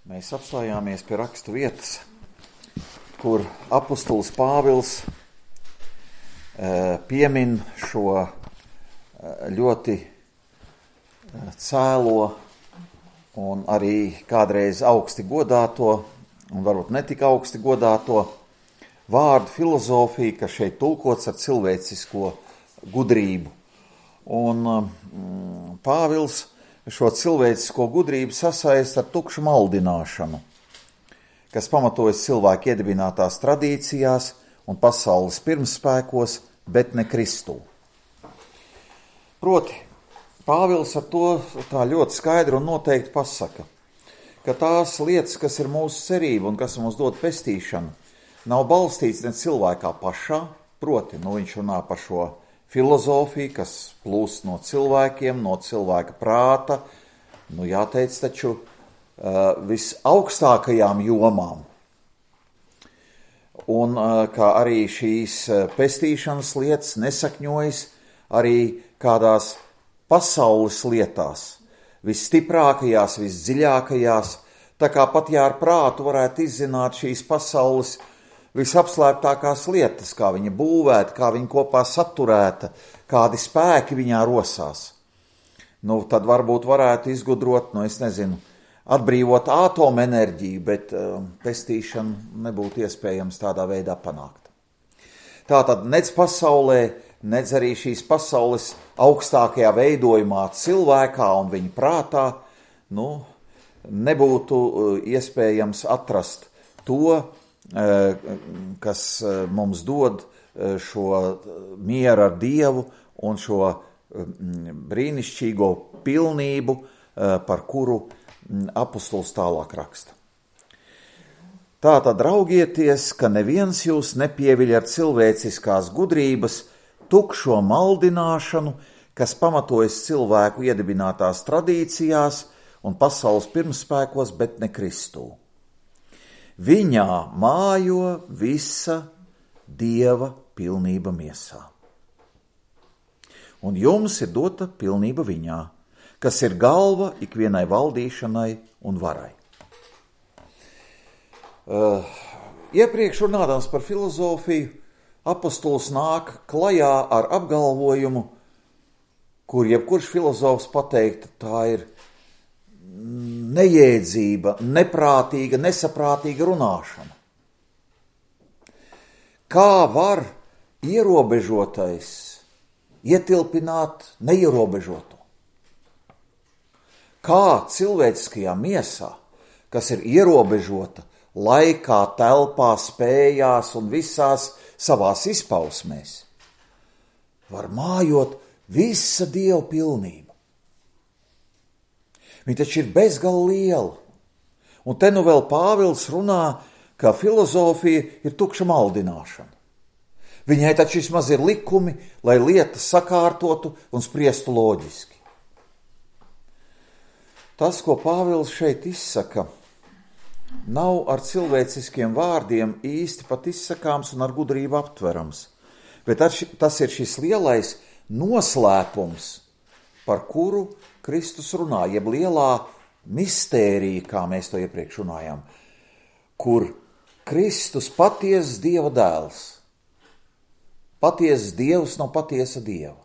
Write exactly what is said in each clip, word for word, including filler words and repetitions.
Mēs apstājāmies pie rakstu vietas, kur apustulis Pāvils piemin šo ļoti cēlo un arī kādreiz augsti godāto, un varbūt netik augsti godāto vārdu filozofiju, kas šeit tulkots ar cilvēcisko gudrību. Un mm, Pāvils šo cilvēcisko gudrību sasaista ar tukšu maldināšanu, kas pamatojas cilvēku iedibinātās tradīcijās un pasaules pirmspēkos, bet ne Kristū. Proti, Pāvils ar to tā ļoti skaidri un noteikti pasaka, ka tās lietas, kas ir mūsu cerība un kas mums dod pestīšanu, nav balstīts ne cilvēkā pašā, proti, nu viņš runā par šo filozofiju, kas plūst no cilvēkiem, no cilvēka prāta, nu jāteic taču uh, visaugstākajām jomām. Un uh, kā arī šīs pestīšanas lietas nesakņojas arī kādās pasaules lietās, visstiprākajās, visdziļākajās, tā kā pat ja ar prātu varētu izzināt šīs pasaules visapslēptākās lietas, kā viņa būvēta, kā viņa kopā saturēta, kādi spēki viņā rosās. Nu, tad varbūt varētu izgudrot, nu, es nezinu, atbrīvot atomenerģiju, bet uh, pestīšanu nebūtu iespējams tādā veidā panākt. Tātad nec pasaulē, nec arī šīs pasaules augstākajā veidojumā cilvēkā un viņa prātā, nu, nebūtu uh, iespējams atrast to, kas mums dod šo mieru ar Dievu un šo brīnišķīgo pilnību, par kuru apustulis tālāk raksta. Tātad raugieties, ka neviens jūs nepieviļ ar cilvēciskās gudrības tukšo maldināšanu, kas pamatojas cilvēku iedibinātās tradīcijās un pasaules pirmspēkos, bet ne Kristū. Viņā mājo visa Dieva pilnība miesā. Un jums ir dota pilnība viņā, kas ir galva ikvienai valdīšanai un varai. Uh, iepriekš runādams par filozofiju, apustulis nāk klajā ar apgalvojumu, kur jebkurš filozofs pateikt, tā ir nejēdzība, neprātīga, nesaprātīga runāšana. Kā var ierobežotais ietilpināt neierobežoto? Kā cilvēciskajā miesā, kas ir ierobežota laikā, telpā, spējās un visās savās izpausmēs, var mājot visa Dieva pilnība? Viņa taču ir bezgalīgi liela. Un te nu vēl Pāvils runā, ka filozofija ir tukša maldināšana. Viņai taču vismaz ir likumi, lai lietas sakārtotu un spriestu loģiski. Tas, ko Pāvils šeit izsaka, nav ar cilvēciskiem vārdiem īsti pat izsakāms un ar gudrību aptverams. Bet tas ir šis lielais noslēpums, par kuru Kristus runā, jeb lielā mistērija, kā mēs to iepriekš runājām, kur Kristus patiesas Dieva dēls, patiesas Dievs no patiesa Dieva,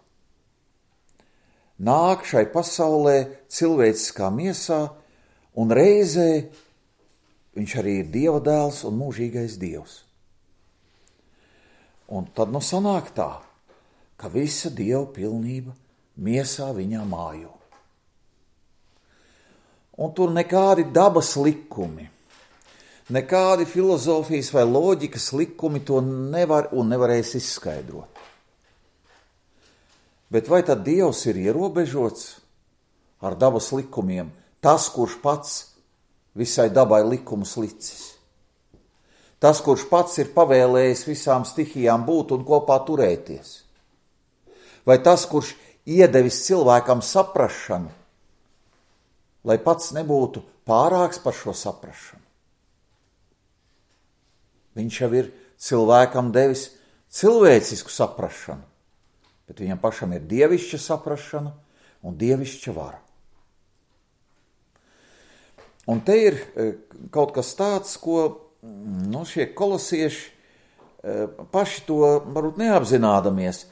nāk šai pasaulē cilvēciskā miesā, un reizē viņš arī ir Dieva dēls un mūžīgais Dievs. Un tad nu sanāk tā, ka visa Dieva pilnība miesā viņā mājo. Un tur nekādi dabas likumi, nekādi filozofijas vai loģikas likumi to nevar un nevarēs izskaidrot. Bet vai tad Dievs ir ierobežots ar dabas likumiem, tas, kurš pats visai dabai likumus licis? Tas, kurš pats ir pavēlējis visām stihijām būt un kopā turēties? Vai tas, kurš iedevis cilvēkam saprašanu, lai pats nebūtu pārāks par šo saprašanu? Viņš jau ir cilvēkam devis cilvēcisku saprašanu, bet viņam pašam ir dievišķa saprašana un dievišķa vara. Un te ir kaut kas tāds, ko nu, šie kolosieši paši to varbūt neapzinādamies,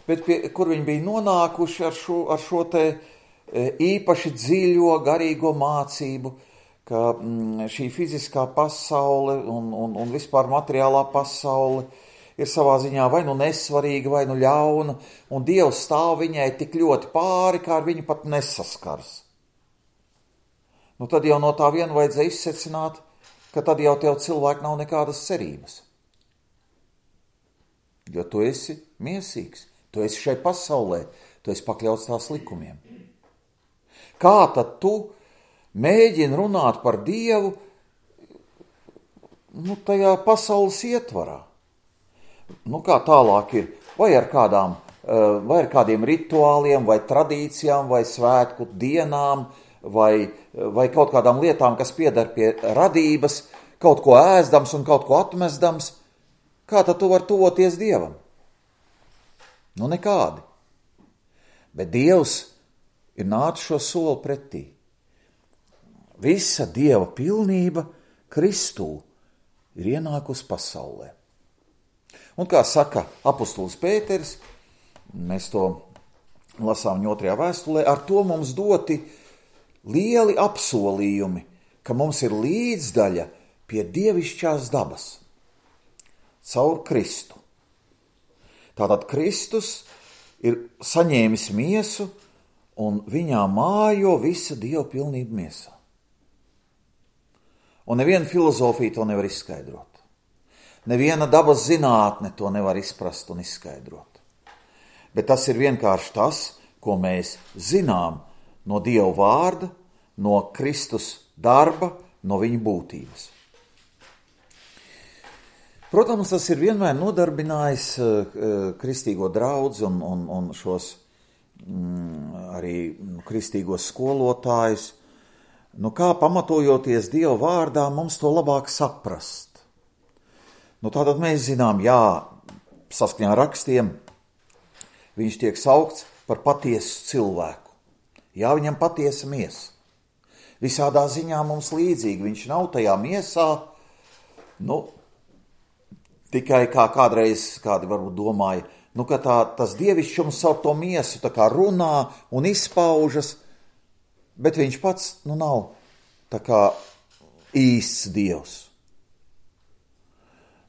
bet pie, kur viņi bija nonākuši ar šo, ar šo te īpaši dziļo garīgo mācību, ka šī fiziskā pasaule un, un, un vispār materiālā pasaule ir savā ziņā vai nu nesvarīga, vai nu ļauna, un Dievs stāv viņai tik ļoti pāri, kā ar viņu pat nesaskars. Nu tad jau no tā viena vajadzēja izsecināt, ka tad jau tev cilvēki nav nekādas cerības. Jo tu esi miesīgs, tu esi šai pasaulē, tu esi pakļauts tās likumiem. Kā tad tu mēģini runāt par Dievu nu, tajā pasaules ietvarā? Nu, kā tālāk ir, vai ar, kādām, vai ar kādiem rituāliem, vai tradīcijām, vai svētku dienām, vai, vai kaut kādām lietām, kas pieder pie radības, kaut ko ēzdams un kaut ko atmestams. Kā tad tu vari tuvoties Dievam? Nu, nekādi. Bet Dievs ir nācis šo soli pretī. Visa Dieva pilnība Kristū ir ienākusi pasaulē. Un kā saka apustulis Pēteris, mēs to lasām viņa otrajā vēstulē, ar to mums doti lieli apsolījumi, ka mums ir līdzdaļa pie dievišķās dabas. Caur Kristu. Tātad Kristus ir saņēmis miesu un viņā mājo visa Dieva pilnība miesā. Un neviena filozofija to nevar izskaidrot. Neviena dabas zinātne to nevar izprast un izskaidrot. Bet tas ir vienkārši tas, ko mēs zinām no Dieva vārda, no Kristus darba, no viņa būtības. Protams, tas ir vienmēr nodarbinājis uh, kristīgo draudzi un, un, un šos mm, arī kristīgos skolotājus. Nu, kā pamatojoties Dieva vārdā, mums to labāk saprast. Nu, tātad mēs zinām, jā, saskaņā ar rakstiem, viņš tiek saukts par patiesu cilvēku. Jā, viņam patiesa miesa. Visādā ziņā mums līdzīgi, viņš nav tajā miesā, nu, tikai kā kādreiz kādi varbūt domāja, nu, ka tā, tas dievišķums savu to miesu tā kā runā un izpaužas, bet viņš pats, nu, nav tā kā īsts Dievs.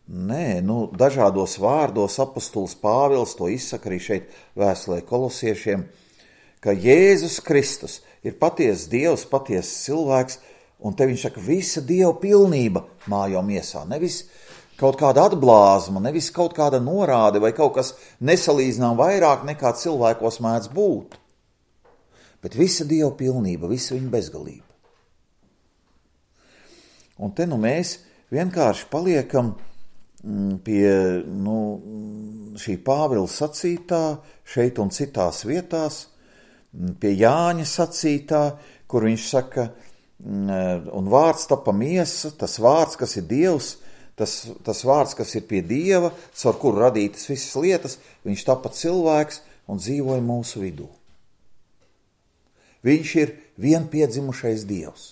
Nē, nu, dažādos vārdos apostulis Pāvils to izsaka arī šeit vēstulē kolosiešiem, ka Jēzus Kristus ir patiesas Dievs, patiesas cilvēks, un te viņš saka, visa Dieva pilnība mājo miesā, nevis kaut kāda atblāzma, nevis kaut kāda norāde vai kaut kas nesalīdzinām vairāk nekā cilvēkos mēdz būt. Bet visa Dieva pilnība, visa viņa bezgalība. Un te nu mēs vienkārši paliekam pie nu, šī Pāvila sacītā, šeit un citās vietās, pie Jāņa sacītā, kur viņš saka, un vārds tapa miesa, tas vārds, kas ir Dievs, Tas, tas vārds, kas ir pie Dieva, caur kuru radītas visas lietas, viņš tapa cilvēks un dzīvoja mūsu vidū. Viņš ir vienpiedzimušais Dievs.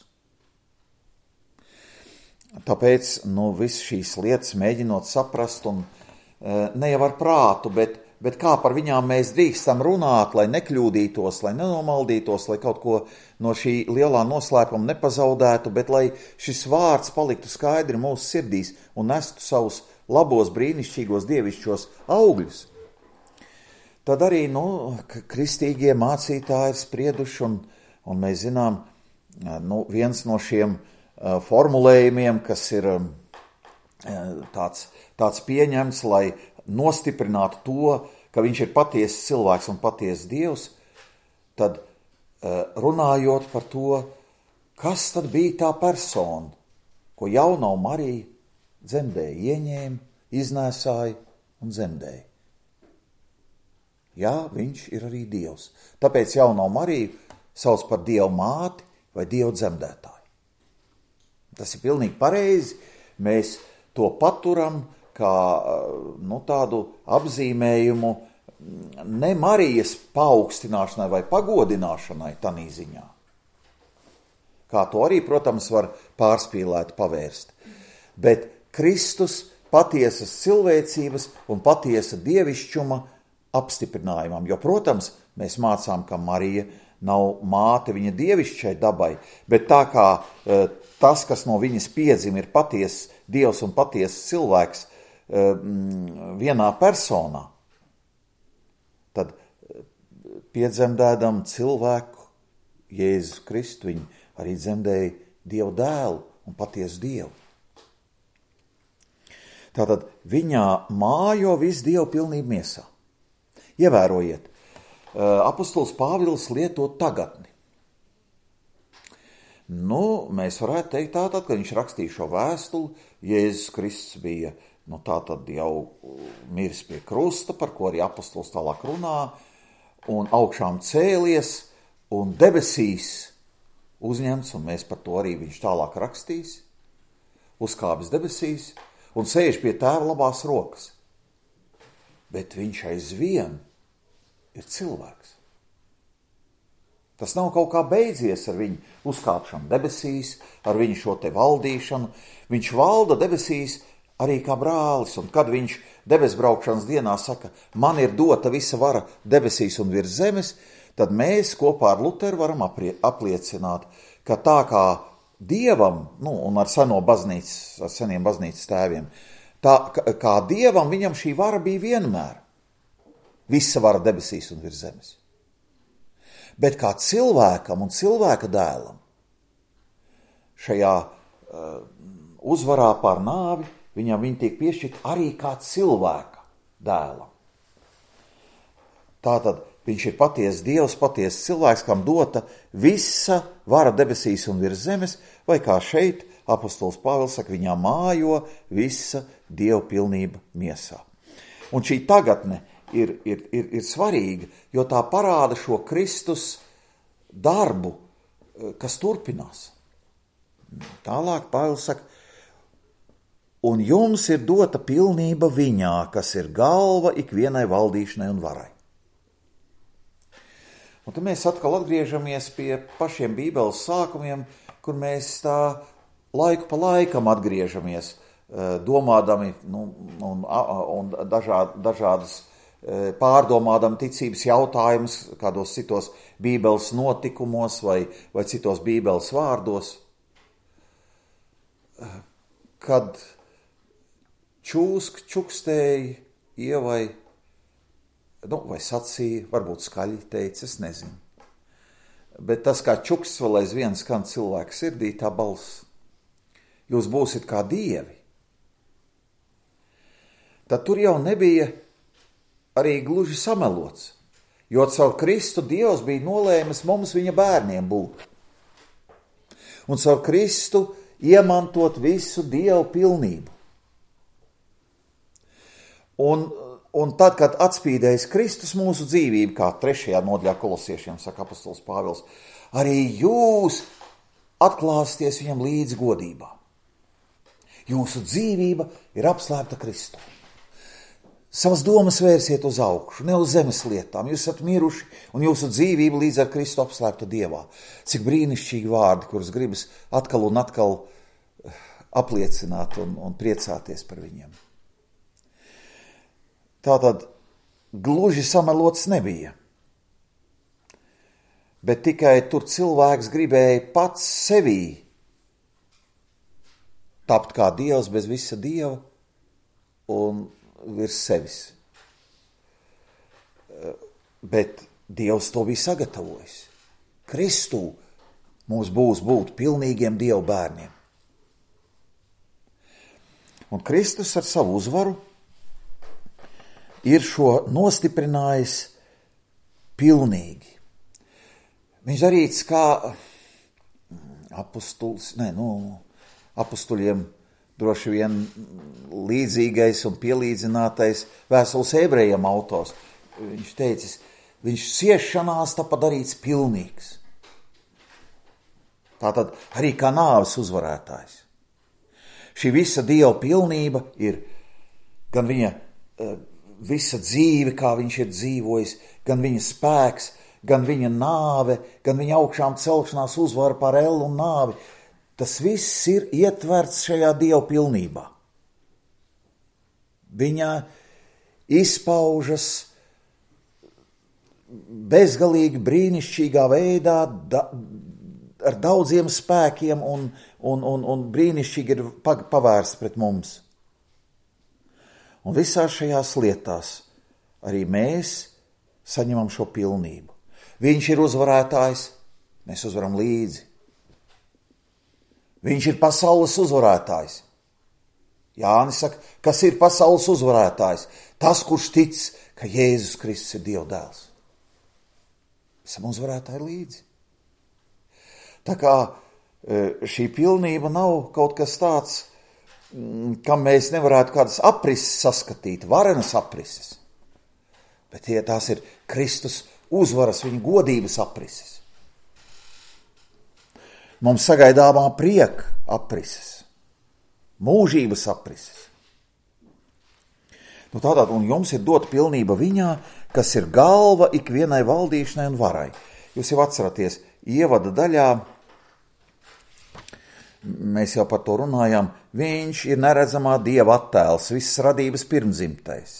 Tāpēc, nu, viss šīs lietas mēģinot saprast, un ne jau ar prātu, bet, bet kā par viņām mēs drīkstam runāt, lai nekļūdītos, lai nenomaldītos, lai kaut ko no šī lielā noslēpuma nepazaudētu, bet lai šis vārds paliktu skaidri mūsu sirdīs un nestu savus labos, brīnišķīgos, dievišķos augļus. Tad arī, nu, kristīgie mācītāji ir sprieduši, un, un mēs zinām, nu, viens no šiem uh, formulējumiem, kas ir um, tāds, tāds pieņemts, lai nostiprinātu to, ka viņš ir patiesas cilvēks un patiesas Dievs, tad runājot par to, kas tad bija tā persona, ko jaunā Marija dzemdēja, ieņēma, iznēsāja un dzemdēja. Jā, viņš ir arī Dievs. Tāpēc jaunā Mariju sauc par Dievu māti vai Dievu dzemdētāju. Tas ir pilnīgi pareizi. Mēs to paturam kā nu, tādu apzīmējumu ne Marijas paaugstināšanai vai pagodināšanai tanī ziņā, kā to arī, protams, var pārspīlēt pavērst. Bet Kristus patiesas cilvēcības un patiesa dievišķuma apstiprinājumam, jo, protams, mēs mācām, ka Marija nav māte viņa dievišķai dabai, bet tā kā e, tas, kas no viņas piedzim, ir patiesas dievs un patiesas cilvēks e, vienā personā, tad piedzemdēdam cilvēku Jēzus Kristu, viņi arī dzemdēja Dievu dēlu un patiesu Dievu. Tātad viņā mājo viss Dievu pilnība miesā. Ievērojiet, apostols Pāvils lieto tagadni. Nu, mēs varētu teikt tātad, ka viņš rakstīja šo vēstuli, Jēzus Kristus bija, nu tātad jau miris pie krusta, par ko arī apostols tālāk runā, un augšām cēlies, un debesīs uzņemts, un mēs par to arī viņš tālāk rakstīs, uzkāpis debesīs, un sēž pie tēva labās rokas. Bet viņš aizvien ir cilvēks. Tas nav kaut kā beidzies ar viņu uzkāpšanu debesīs, ar viņu šo te valdīšanu. Viņš valda debesīs arī kā brālis, un kad viņš debesbraukšanas dienā saka, man ir dota visa vara debesīs un virs zemes, tad mēs kopā ar Luteru varam aprie, apliecināt, ka tā kā Dievam, nu, un ar seno baznīcas, ar seniem baznīcas tēviem, tā kā Dievam viņam šī vara bija vienmēr. Visa vara debesīs un virs zemes. Bet kā cilvēkam un cilvēka dēlam šajā uh, uzvarā pār nāvi, viņam viņi tiek piešķirt arī kā cilvēka dēlam. Tātad viņš ir patiesa Dievs, patiesa cilvēks, kam dota visa vara debesīs un virs zemes, vai kā šeit apostols Pāvils saka, viņā mājo visa Dieva pilnība miesā. Un šī tagadne ir, ir, ir, ir svarīga, jo tā parāda šo Kristus darbu, kas turpinās. Tālāk Pāvils saka, un jums ir dota pilnība viņā, kas ir galva ikvienai valdīšanai un varai. Un tad mēs atkal atgriežamies pie pašiem Bībeles sākumiem, kur mēs tā laiku pa laikam atgriežamies, domādami nu, un, un dažād, dažādas pārdomādami ticības jautājumus, kādos citos Bībeles notikumos vai, vai citos Bībeles vārdos. Kad čūsk čukstēja Ievai, nu, vai sacīja, varbūt skaļi teica, es nezinu. Bet tas, kā čuks vēl aizvien skan cilvēka sirdī, tā balss, jūs būsiet kā dievi. Tad tur jau nebija arī gluži samelots, jo caur Kristu Dievs bija nolēmis mums viņa bērniem būt. Un caur Kristu iemantot visu Dievu pilnību. Un Un tad, kad atspīdējis Kristus mūsu dzīvību, kā trešajā nodaļā kolosiešiem, saka apostols Pāvils, arī jūs atklāsties viņam līdz godībā. Jūsu dzīvība ir apslēpta Kristū. Savas domas vērsiet uz augšu, ne uz zemes lietām. Jūs esat miruši, un jūsu dzīvība līdz ar Kristu apslēpta Dievā. Cik brīnišķīgi vārdi, kurus gribas atkal un atkal apliecināt un, un priecāties par viņiem. Tātad gluži samelots nebija, bet tikai tur cilvēks gribēja pats sevī tapt kā Dievs bez visa Dieva un virs sevis. Bet Dievs to bija sagatavojis. Kristū mums būs būt pilnīgiem Dieva bērniem. Un Kristus ar savu uzvaru ir šo nostiprinājis pilnīgi. Viņš darīts kā apostuls, ne, nu, apostuļiem droši vien līdzīgais un pielīdzinātais vēstules ebrejiem autors. Viņš teicis, viņš ciešanās tāpat darīts pilnīgs. Tātad arī kā nāves uzvarētājs. Šī visa Dieva pilnība ir gan viņa visa dzīve, kā viņš ir dzīvojis, gan viņa spēks, gan viņa nāve, gan viņa augšām celšanās uzvara pār ellu un nāvi, tas viss ir ietverts šajā Dieva pilnībā. Viņa izpaužas bezgalīgi brīnišķīgā veidā, da, ar daudziem spēkiem un, un, un, un brīnišķīgi ir pavērsts pret mums. Un visās šajās lietās arī mēs saņemam šo pilnību. Viņš ir uzvarētājs, mēs uzvaram līdzi. Viņš ir pasaules uzvarētājs. Jānis saka, kas ir pasaules uzvarētājs? Tas, kurš tic, ka Jēzus Kristus ir Dieva dēls. Esam uzvarētāji līdzi. Tā kā šī pilnība nav kaut kas tāds, kam mēs nevarētu kādas aprises saskatīt, varenas aprises. Bet tie tās ir Kristus uzvaras, viņa godības aprises. Mums sagaidāmā prieka aprises, mūžības aprises. Nu tātad, un jums ir dot pilnība viņā, kas ir galva ikvienai valdīšanai un varai. Jūs jau atceraties, ievada daļā, mēs jau par to runājām, viņš ir neredzamā Dieva attēls, visas radības pirmdzimtais.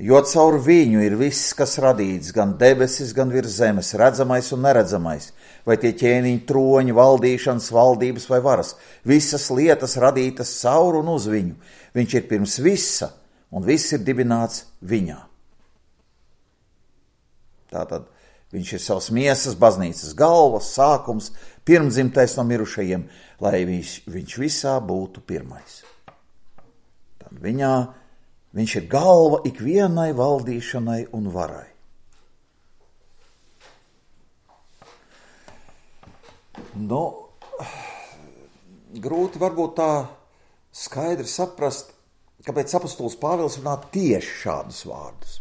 Jo caur viņu ir viss, kas radīts, gan debesis, gan virs zemes, redzamais un neredzamais, vai tie ķēniņi, troņi, valdīšanas, valdības vai varas. Visas lietas radītas caur un uz viņu. Viņš ir pirms visa, un viss ir dibināts viņā. Tātad viņš ir savas miesas, baznīcas galvas, sākums, pirmdzimtais no mirušajiem, lai viņš, viņš visā būtu pirmais. Tad viņā viņš ir galva ikvienai valdīšanai un varai. Nu, grūti varbūt tā skaidri saprast, kāpēc apostols Pāvils runā tieši šādus vārdus.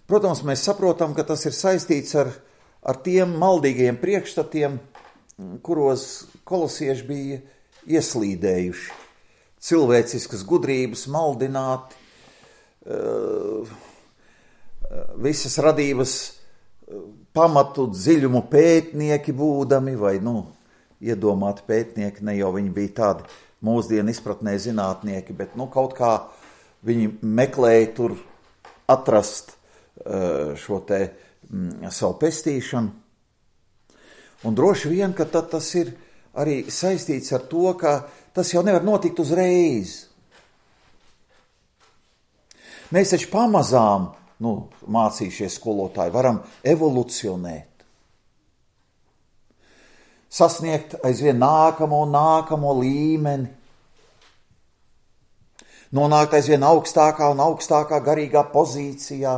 Protams, mēs saprotam, ka tas ir saistīts ar, ar tiem maldīgajiem priekšstatiem, kuros kolosieši bija ieslīdējuši. Cilvēciskas gudrības, maldināti, visas radības pamatu dziļumu pētnieki būdami, vai, nu, iedomāti pētnieki, ne jau viņi bija tādi mūsdienu izpratnē zinātnieki, bet, nu, kaut kā viņi meklēja tur atrast šo te m, savu pestīšanu. Un droši vien, ka tad tas ir arī saistīts ar to, ka tas jau nevar notikt uzreiz. Mēs taču pamazām, nu, mācījušies skolotāji, varam evolucionēt. Sasniegt aizvien nākamo un nākamo līmeni. Nonākt aizvien augstākā un augstākā garīgā pozīcijā.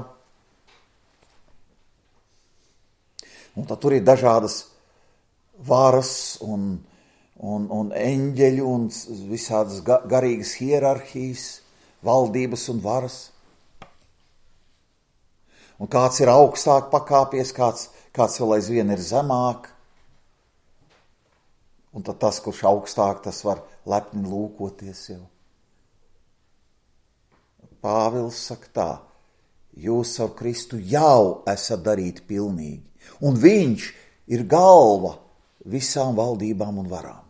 Un tad tur ir dažādas varas un Un, un eņģeļu un visādas garīgas hierarhijas, valdības un varas. Un kāds ir augstāk pakāpies, kāds, kāds vēl aizvien ir zemāk. Un tad tas, kurš augstāk, tas var lepni lūkoties jau. Pāvils saka tā, jūs savu Kristu jau esat darīti pilnīgi. Un viņš ir galva visām valdībām un varām.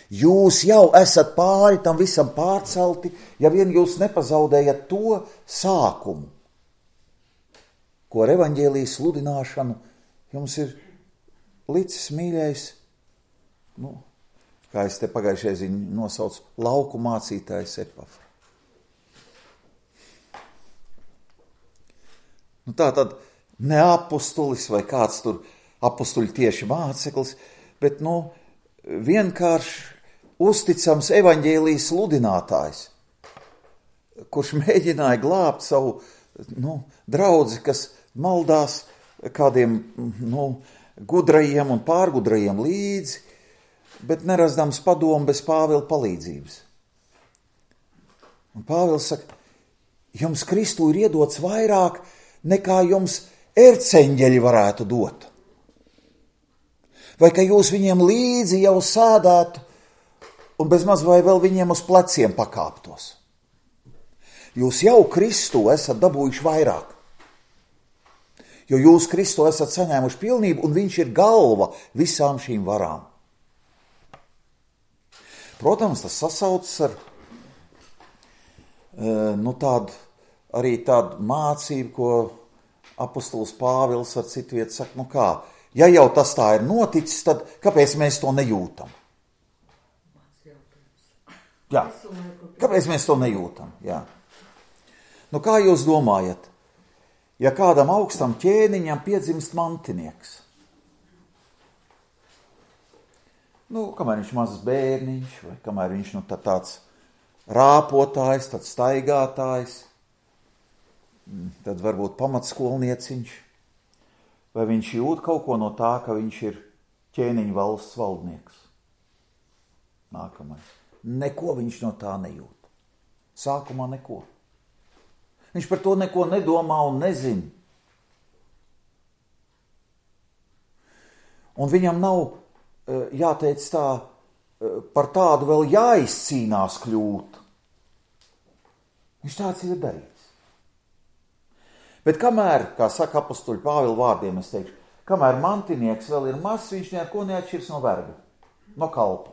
Jūs jau esat pāri tam visam pārcelti, ja vien jūs nepazaudējat to sākumu, ko ar evaņģēlijas sludināšanu jums ir licis mīļais, nu, kā es te pagājušajā ziņā nosaucu, lauku mācītājs Epafra. Nu tā tad ne apustulis vai kāds tur apustuļu tieši māceklis, bet, nu, vienkārši uzticams evaņģēlijas sludinātājs, kurš mēģināja glābt savu, nu, draudzi, kas maldās kādiem, nu, gudrajiem un pārgudrajiem līdzi, bet nerasdams padomu bez Pāvila palīdzības. Un Pāvils saka, jums Kristu ir iedots vairāk, nekā jums erceņģeļi varētu dot. Vai ka jūs viņiem līdzi jau sēdētu, un bezmaz vai vēl viņiem uz pleciem pakāptos. Jūs jau Kristu esat dabūjuši vairāk. Jo jūs Kristu esat saņēmuši pilnību, un viņš ir galva visām šīm varām. Protams, tas sasaucas ar nu, tādu, arī tādu mācību, ko apostols Pāvils ar citu vietu saka, nu kā, ja jau tas tā ir noticis, tad kāpēc mēs to nejūtam? Jā, kāpēc mēs to nejūtam? Jā. Nu kā jūs domājat? Ja kādam augstam ķēniņam piedzimst mantinieks, nu, kamēr viņš mazs bērniņš, vai kamēr viņš nu, tā tāds rāpotājs, tāds staigātājs, tad varbūt pamatskolnieciņš, vai viņš jūt kaut ko no tā, ka viņš ir ķēniņa valsts valdnieks. Nākamais. Neko viņš no tā nejūt. Sākumā neko. Viņš par to neko nedomā un nezina. Un viņam nav, jāteic tā, par tādu vēl jāizcīnās kļūt. Viņš tāds ir darīts. Bet kamēr, kā saka apostoļu Pāvila vārdiem, es teikšu, kamēr mantinieks vēl ir mazs, viņš neko neatšķirs no verga, no kalpa.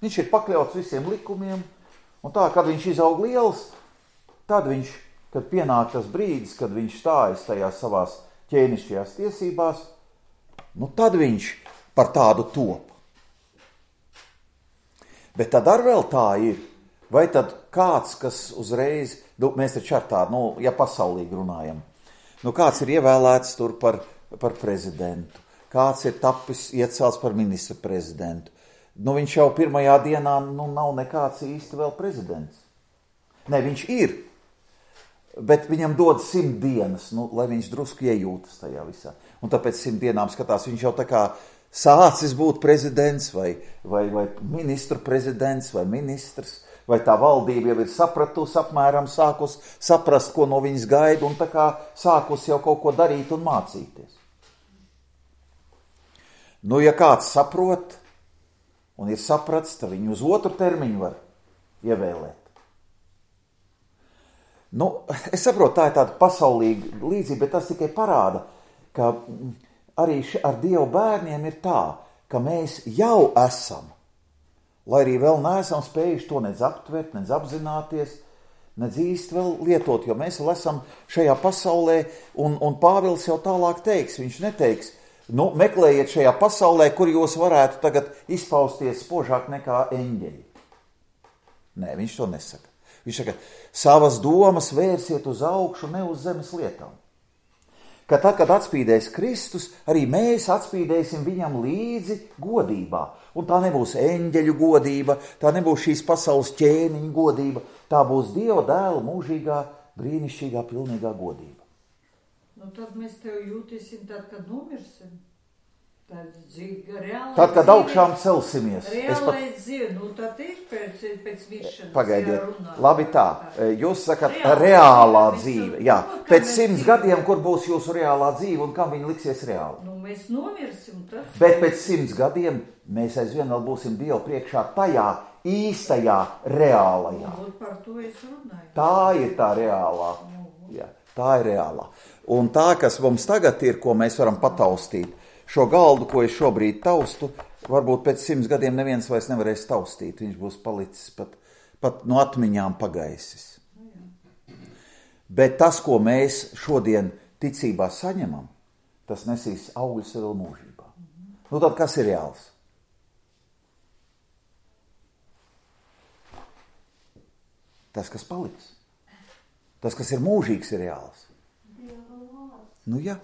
Viņš ir pakļauts visiem likumiem, un tā, kad viņš izaug liels, tad viņš, kad pienāk tas brīdis, kad viņš stājas tajās savās ķēnišķajās tiesībās, nu tad viņš par tādu top. Bet tad ar vēl tā ir, vai tad kāds, kas uzreiz, nu, mēs taču ar tādu, nu, ja pasaulīgi runājam, nu, kāds ir ievēlēts tur par, par prezidentu, kāds ir tapis iecelts par ministru prezidentu, nu, viņš jau pirmajā dienā, nu, nav nekāds īsti vēl prezidents. Ne, viņš ir, bet viņam dod simt dienas, nu, lai viņš drusku iejūtas tajā visā. Un tāpēc simt dienām skatās, viņš jau tā kā sācis būt prezidents, vai, vai, vai ministru prezidents, vai ministrs, vai tā valdība jau ir sapratusi apmēram, sākus saprast, ko no viņas gaida, un tā kā sākus jau kaut ko darīt un mācīties. Nu, ja kāds saprot, un ir saprats, tad viņu uz otru termiņu var ievēlēt. Nu, es saprotu, tā ir tāda pasaulīga līdzība, bet tas tikai parāda, ka arī ar Dievu bērniem ir tā, ka mēs jau esam, lai arī vēl neesam spējuši to nedz aptvert, nedz apzināties, nedz īsti vēl lietot, jo mēs vēl esam šajā pasaulē, un, un Pāvils jau tālāk teiks, viņš neteiks, nu, meklējiet šajā pasaulē, kur jūs varētu tagad izpausties spožāk nekā eņģeļi. Nē, viņš to nesaka. Viņš saka, savas domas vērsiet uz augšu, ne uz zemes lietām. Ka tad, kad atspīdēs Kristus, arī mēs atspīdēsim viņam līdzi godībā. Un tā nebūs eņģeļu godība, tā nebūs šīs pasaules ķēniņu godība, tā būs Dieva dēla mūžīgā, brīnišķīgā, pilnīgā godība. Nu, tad mēs tev jūtīsim tad, kad nomirsim. Tad, dzīve, tad kad augšām celsimies. Reālai pat... dzīve, nu tad ir pēc, pēc miršanas. Pagaidiet, labi tā, jūs sakat reālā, reālā dzīve. Jā, pēc simts gadiem, kur būs jūsu reālā dzīve un kam viņa liksies reāli? Nu, mēs nomirsim tad. Bet pēc simts gadiem mēs aizvien vēl būsim Dievu priekšā tajā īstajā reālajā. Nu, par to es runāju. Tā ir tā reālā. Jā, tā ir reālā. Un tā, kas mums tagad ir, ko mēs varam pataustīt, šo galdu, ko es šobrīd taustu, varbūt pēc simts gadiem neviens vairs nevarēs taustīt. Viņš būs palicis pat, pat no atmiņām pagaisis. Bet tas, ko mēs šodien ticībā saņemam, tas nesīs augļus vēl mūžībā. Nu tad kas ir reāls? Tas, kas paliks. Tas, kas ir mūžīgs, ir reāls. Nu jā,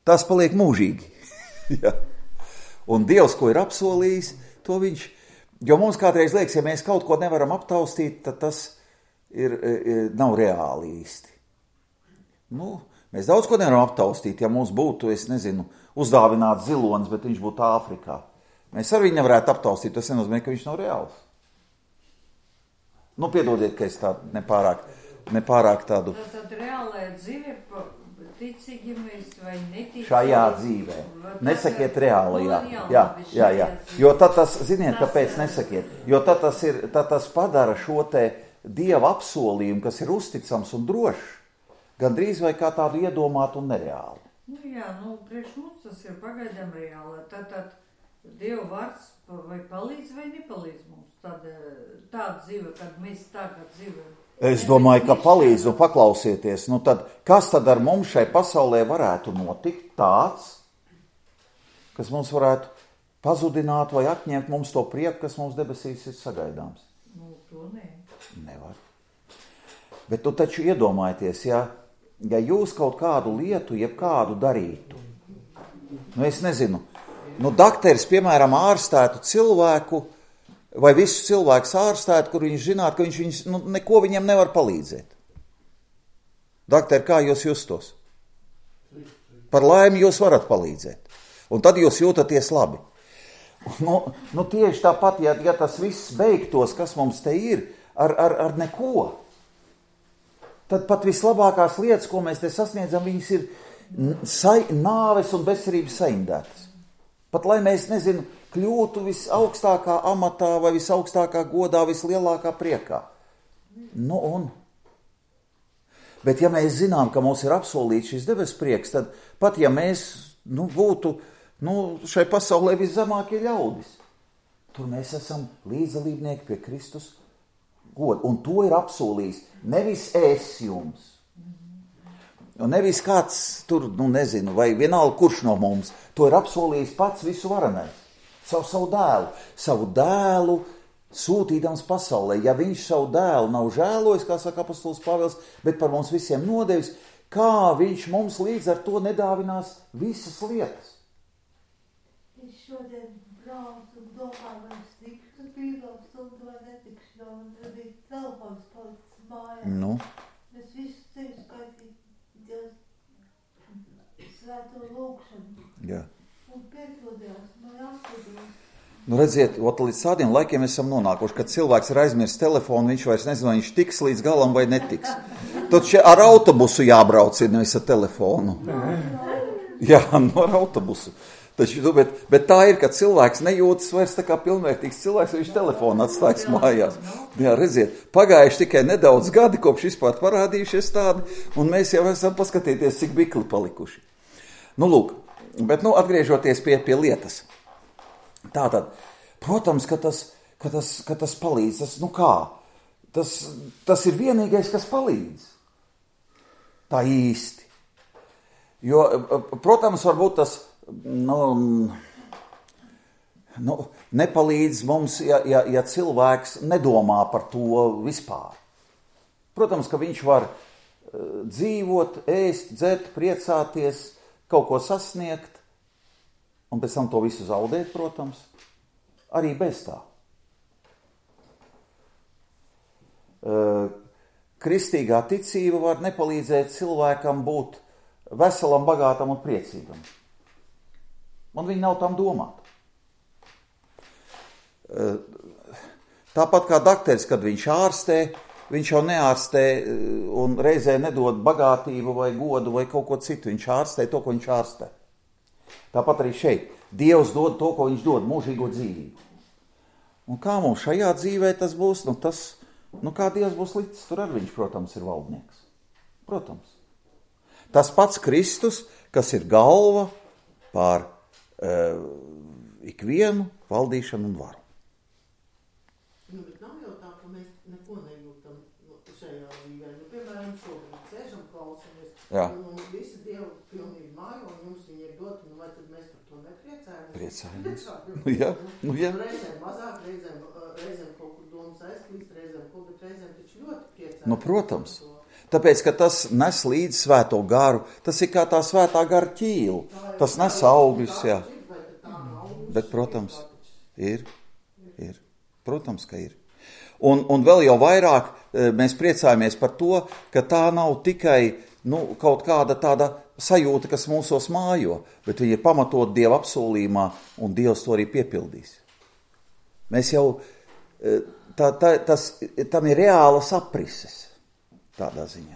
tas paliek mūžīgi. Ja. Un Dievs, ko ir apsolījis, to viņš, jo mums kādreiz liekas, ja mēs kaut ko nevaram aptaustīt, tad tas ir, ir, nav reāli īsti. Nu, mēs daudz ko nevaram aptaustīt, ja mums būtu, es nezinu, uzdāvināts zilonis, bet viņš būtu Āfrikā. Mēs ar viņu nevarētu aptaustīt, tas nenozīmē, ka viņš nav reāls. Nu, piedodiet, ka es tādu nepārāk, nepārāk tādu... Tad, tad reālajā dzīve... Ticīgi mēs vai neticīgi. Šajā dzīvē. Nesakiet reālajā. Jā, jā, jā. Jo tad tas, ziniet, kāpēc nesakiet? Jo tad tas, ir, tad tas padara šo te Dieva apsolījumu, kas ir uzticams un drošs, gandrīz vai kā tādu iedomātu un nereālu. Nu jā, nu priekš mums tas ir pagaidām reāli. Tātad Dieva vārds vai palīdz vai nepalīdz mums tāda, tāda dzīve, kad mēs tagad dzīvojam. Es domāju, ka palīdz, un paklausieties, nu tad, kas tad ar mums šai pasaulē varētu notikt tāds, kas mums varētu pazudināt vai atņemt mums to prieku, kas mums debesīs ir sagaidāms? Nu, to ne. Nevar. Bet tu taču iedomājieties, ja, ja jūs kaut kādu lietu, jeb kādu darītu, nu es nezinu, nu dakteris, piemēram, ārstētu cilvēku, vai visus cilvēkus ārstētu, kur viņš zinātu, ka viņš viņus, nu, neko viņam nevar palīdzēt. Dakteri, kā jūs justos? Par laimi jūs varat palīdzēt. Un tad jūs jūtaties labi. Nu, nu tieši tāpat, ja, ja tas viss beigtos, kas mums te ir, ar, ar, ar neko, tad pat vislabākās lietas, ko mēs te sasniedzam, viņas ir sa- nāves un bezcerības saindētas. Pat lai mēs, nezinu, kļūtu visaugstākā amatā vai visaugstākā godā, vislielākā priekā. Nu un? Bet ja mēs zinām, ka mums ir apsolīts šis debes prieks, tad pat ja mēs nu, būtu nu, šai pasaulē viszemākie ļaudis, tur mēs esam līdzdalībnieki pie Kristus goda. Un to ir apsolījis nevis es jums. Un nevis kāds tur, nu nezinu, vai vienalga kurš no mums, to ir apsolījis pats visu varenais. Savu, savu dēlu, savu dēlu sūtīdams pasaulē. Ja viņš savu dēlu nav žēlojis, kā saka apostols Pāvils, bet par mums visiem nodevis, kā viņš mums līdz ar to nedāvinās visas lietas. Es šodien braucu un domāju, vai es tikšu bīlām stundu vai netikšu, un tad bija telefons palicis mājā. Nu. Es visu ceļu skaitīju Dievs svēto lūkšanu. Jā. Un pieklodījās, man apsūdījās. Nu redziet, ot, līdz tādiem laikiem esam nonākuši, kad cilvēks ir aizmirst telefonu, viņš vairs nezinu, viņš tiks līdz galam vai netiks. Tad šeit ar autobusu jābrauc ir nevis ar telefonu. Jā, no ar autobusu. Taču, bet, bet tā ir, ka cilvēks nejūtas vairs tā kā pilnvērtīgs cilvēks, viņš telefonu atstājas mājās. Jā, redziet, pagājuši tikai nedaudz gadi, kopš vispār parādījušies tādi, un mēs jau esam paskatīties, cik bikli palikuši. Nu, lūk, bet, nu, atgriežoties pie, pie lietas. Tātad, protams, ka tas, ka tas, ka tas palīdz, tas, nu kā, tas, tas ir vienīgais, kas palīdz. Tā īsti. Jo, protams, varbūt tas, nu, nu nepalīdz mums, ja, ja, ja cilvēks nedomā par to vispār. Protams, ka viņš var uh, dzīvot, ēst, dzert, priecāties, kaut ko sasniegt, un pēc tam to visu zaudēt, protams, arī bez tā. Uh, kristīgā ticība var nepalīdzēt cilvēkam būt veselam, bagātam un priecīgam. Un viņi nav tam domāti. Uh, tāpat kā dakteris, kad viņš ārstē, viņš jau neārstē un reizē nedod bagātību vai godu vai kaut ko citu. Viņš ārstē to, ko viņš ārstē. Tāpat arī šeit. Dievs dod to, ko viņš dod, mūžīgo dzīvību. Un kā mums šajā dzīvē tas būs? Nu, tas, nu kā Dievs būs līdz, tur ar viņš, protams, ir valdnieks. Protams. Tas pats Kristus, kas ir galva pār uh, ikvienu valdīšanu un varu. Nu, bet nav jau tā, ka mēs neko nejūtam šajā dzīvē. Nu, piemēram, šobrīd sēžam, klausamies, un, un visi Dievu pilnīgi mājo, un jums viņi ir doti, nu vai tad mēs par to nepriecājamies? Priecājamies. Nu, jā, nu, jā. Reizēm mazāk, reizēm, reizēm kaut kur domas aizklīst, reizēm kaut, bet reizēm taču ļoti priecājamies. Nu, protams. Tāpēc, ka tas nes līdz svēto garu, tas ir kā tā svētā gara ķīla. Tas nes augļus, jā. Bet, protams, ir, ir. Protams, ka ir. Un, un vēl jau vairāk mēs priecājamies par to, ka tā nav tikai nu, kaut kāda tāda sajūta, kas mūsos mājo, bet viņa ir pamatot Dieva apsolījumā, un Dievs to arī piepildīs. Mēs jau, tā, tā, tas, tam ir reālas aprises tādā ziņā.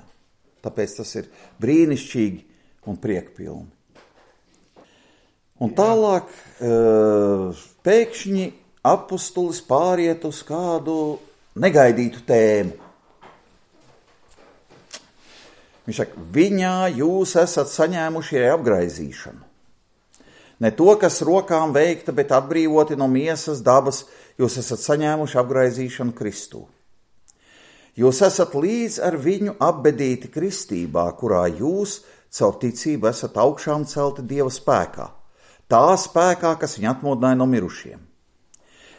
Tāpēc tas ir brīnišķīgi un priekpilni. Un tālāk pēkšņi apustulis pāriet uz kādu negaidītu tēmu. Viņš saka, viņā jūs esat saņēmuši arī apgraizīšanu. Ne to, kas rokām veikta, bet atbrīvoti no miesas dabas, jūs esat saņēmuši apgraizīšanu Kristū. Jūs esat līdz ar viņu apbedīti kristībā, kurā jūs caur ticību esat augšām celti Dieva spēkā, tā spēkā, kas viņu atmodināja no mirušiem.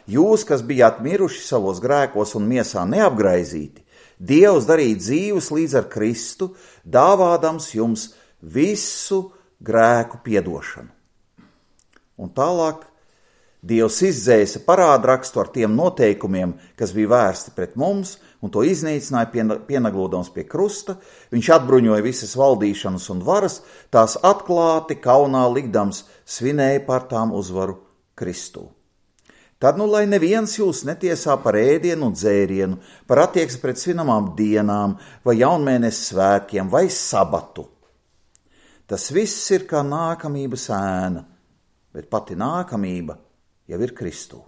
Jūs, kas bijāt miruši savos grēkos un miesā neapgraizīti, Dievs darīja dzīvus līdz ar Kristu, dāvādams jums visu grēku piedošanu. Un tālāk Dievs izdzēsa parādrakstu ar tiem noteikumiem, kas bija vērsti pret mums, un to iznīcināja pienaglodams pie krusta. Viņš atbruņoja visas valdīšanas un varas, tās atklāti kaunā likdams svinēja par tām uzvaru Kristū. Tad, nu, lai neviens jūs netiesā par ēdienu un dzērienu, par attieksmi pret svinamām dienām, vai jaunmēnesis svētkiem, vai sabatu. Tas viss ir kā nākamības ēna, bet pati nākamība jau ir Kristū.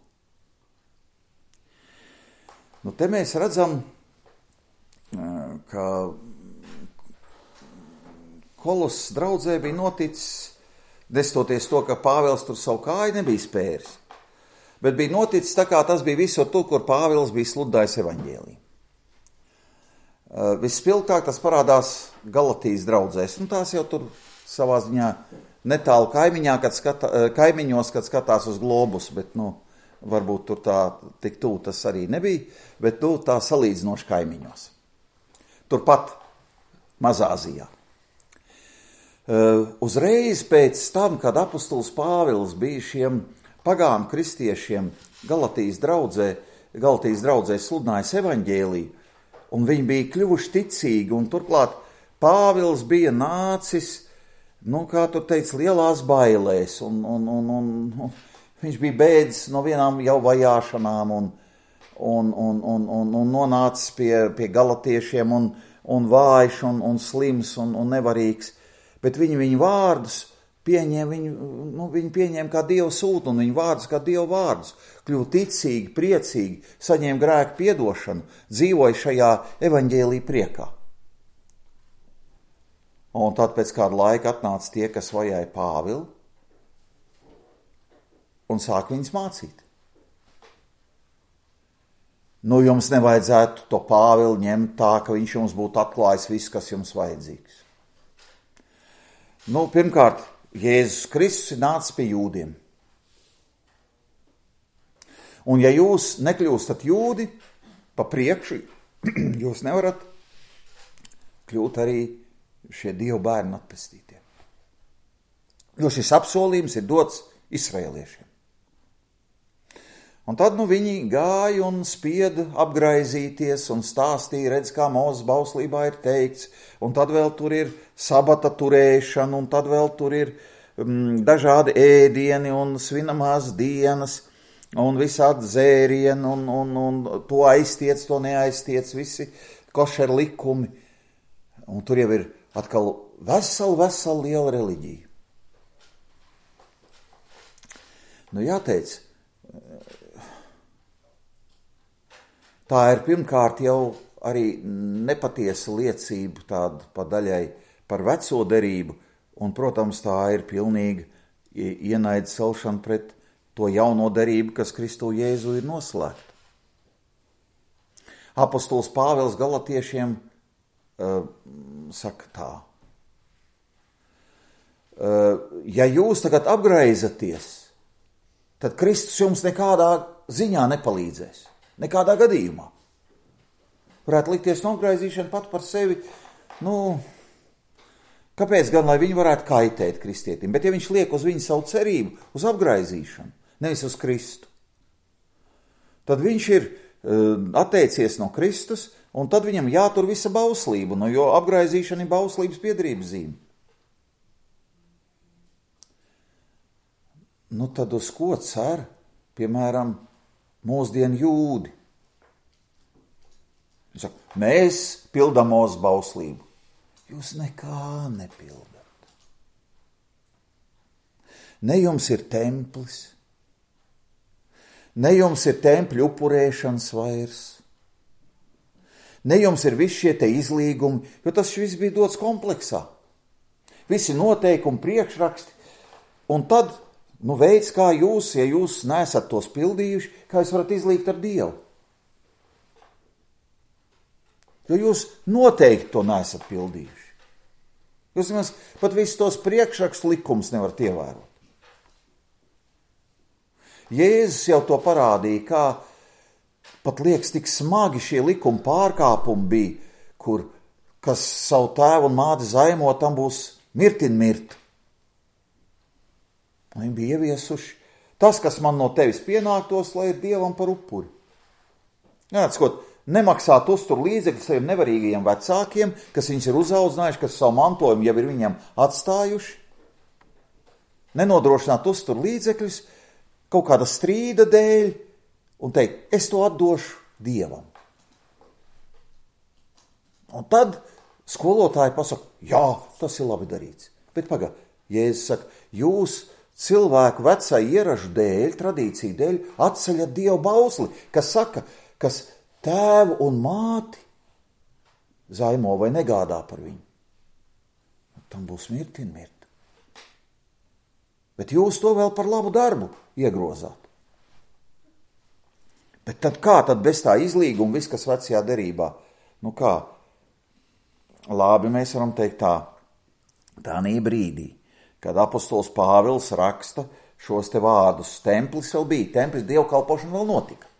Nu, te mēs redzam, ka Kolosas draudzē bija noticis, nestoties to, ka Pāvils tur savu kāju nebija spēris, bet bija noticis tā, kā tas bija visur tur, kur Pāvils bija sludinājis evaņģēliju. Vispilgtāk tas parādās Galatijas draudzēs, nu tās jau tur savā ziņā netālu kaimiņā, kad skata, kaimiņos, kad skatās uz globus, bet, nu, varbūt tur tā tik tūl tas arī nebija, bet, nu, tā salīdzinoši kaimiņos. Turpat Mazāzijā. Uh, uzreiz pēc tam, kad apostols Pāvils bija šiem pagānu kristiešiem Galatijas draudzē, Galatijas draudzē sludinājis evaņģēliju, un viņi bija kļuvuši ticīgi, un turklāt Pāvils bija nācis, nu, kā tu teici, lielās bailēs, un, un, un, un, un viņš bija bēdzis no vienām jau vajāšanām, un, un, un, un, un, un nonācis pie, pie galatiešiem, un, un vājš, un, un slims, un, un nevarīgs, bet viņi viņu vārdus pieņēma, viņu, nu, viņu pieņēma kā Dievu sūtu, un viņu vārdus kā Dievu vārdus, kļuva ticīgi, priecīgi, saņēma grēku piedošanu, dzīvoja šajā evaņģēlī priekā. Un tad pēc kāda laika atnāca tie, kas vajāja Pāvilu, un sāk viņus mācīt. Nu, jums nevajadzētu to Pāvilu ņemt tā, ka viņš jums būtu atklājis visu, kas jums vajadzīgs. Nu, pirmkārt, Jēzus Kristus ir nācis pie jūdiem. Un ja jūs nekļūstat jūdi pa priekšu, jūs nevarat kļūt arī šie Dievu bērni atpestītie. Jo šis apsolījums ir dots Izraēliešiem. Un tad nu viņi gāja un spieda apgraizīties un stāstīja, redz, kā Mūzes bauslībā ir teikts, un tad vēl tur ir sabata turēšana, un tad vēl tur ir um, dažādi ēdieni un svinamās dienas, un visādi dzērieni, un, un, un to aiztiec, to neaiztiec, visi košer likumi. Un tur jau ir atkal vesela, vesela liela reliģija. Nu jāteic, tā ir pirmkārt jau arī nepatiesa liecība tāda pa daļai par veco derību, un, protams, tā ir pilnīga ienaida celšana pret to jauno derību, kas Kristu Jēzu ir noslēgta. Apostols Pāvils galatiešiem uh, saka tā. Uh, ja jūs tagad apgraizaties, tad Kristus jums nekādā ziņā nepalīdzēs. Nekādā gadījumā. Varētu likties nograizīšana pat par sevi, nu, kāpēc gan, lai viņi varētu kaitēt kristietim, bet ja viņš liek uz viņu savu cerību, uz apgraizīšanu, nevis uz Kristu, tad viņš ir uh, atteicies no Kristus, un tad viņam jātur visa bauslība, no, jo apgraizīšana ir bauslības piederības zīme. Nu, tad uz ko cer, piemēram, mūsdienu jūdi? Viņš saka, mēs pildam Mūzes bauslību. Jūs nekā nepildat. Ne jums ir templis, ne jums ir tempļu upurēšanas vairs, Ne jums ir visi šie te izlīgumi, jo tas viss bija dots kompleksā. Visi noteikumi, priekšraksti. Un tad, nu, veids, kā jūs, ja jūs neesat tos pildījuši, kā jūs varat izlīgt ar Dievu. Jo jūs noteikti to neesat pildījuši. Jūs nemaz pat visus tos priekšrakstu likumus nevarat ievērot. Jēzus jau to parādīja, kā pat liekas tik smagi šie likuma pārkāpumi bija, kur, kas savu tēvu un māti zaimo, tam būs mirtin mirt. Viņi bija ieviesuši tas, kas man no tevis pienāktos, lai ir Dievam par upuri. Jā, skot, nemaksāt uztur līdzekļus saviem nevarīgajiem vecākiem, kas viņus ir uzaudzinājuši, kas savu mantojumu jau ir viņam atstājuši. Nenodrošināt uztur līdzekļus kaut kāda strīda dēļ un teikt, es to atdošu Dievam. Un tad skolotāji pasaka, jā, tas ir labi darīts. Bet pagā, Jēzus saka, jūs cilvēku vecā ieražu dēļ, tradīciju dēļ atceļat Dievu bausli, kas saka, kas tēvu un māti zaimo vai negādā par viņu. Tam būs mirtin mirt. Bet jūs to vēl par labu darbu iegrozāt. Bet tad kā tad bez tā izlīguma viss, kas vecajā derībā? Nu kā? Labi, mēs varam teikt tā, tādā brīdī, kad apostols Pāvils raksta šos te vārdus, templis vēl bija, templis dievkalpošana vēl notika.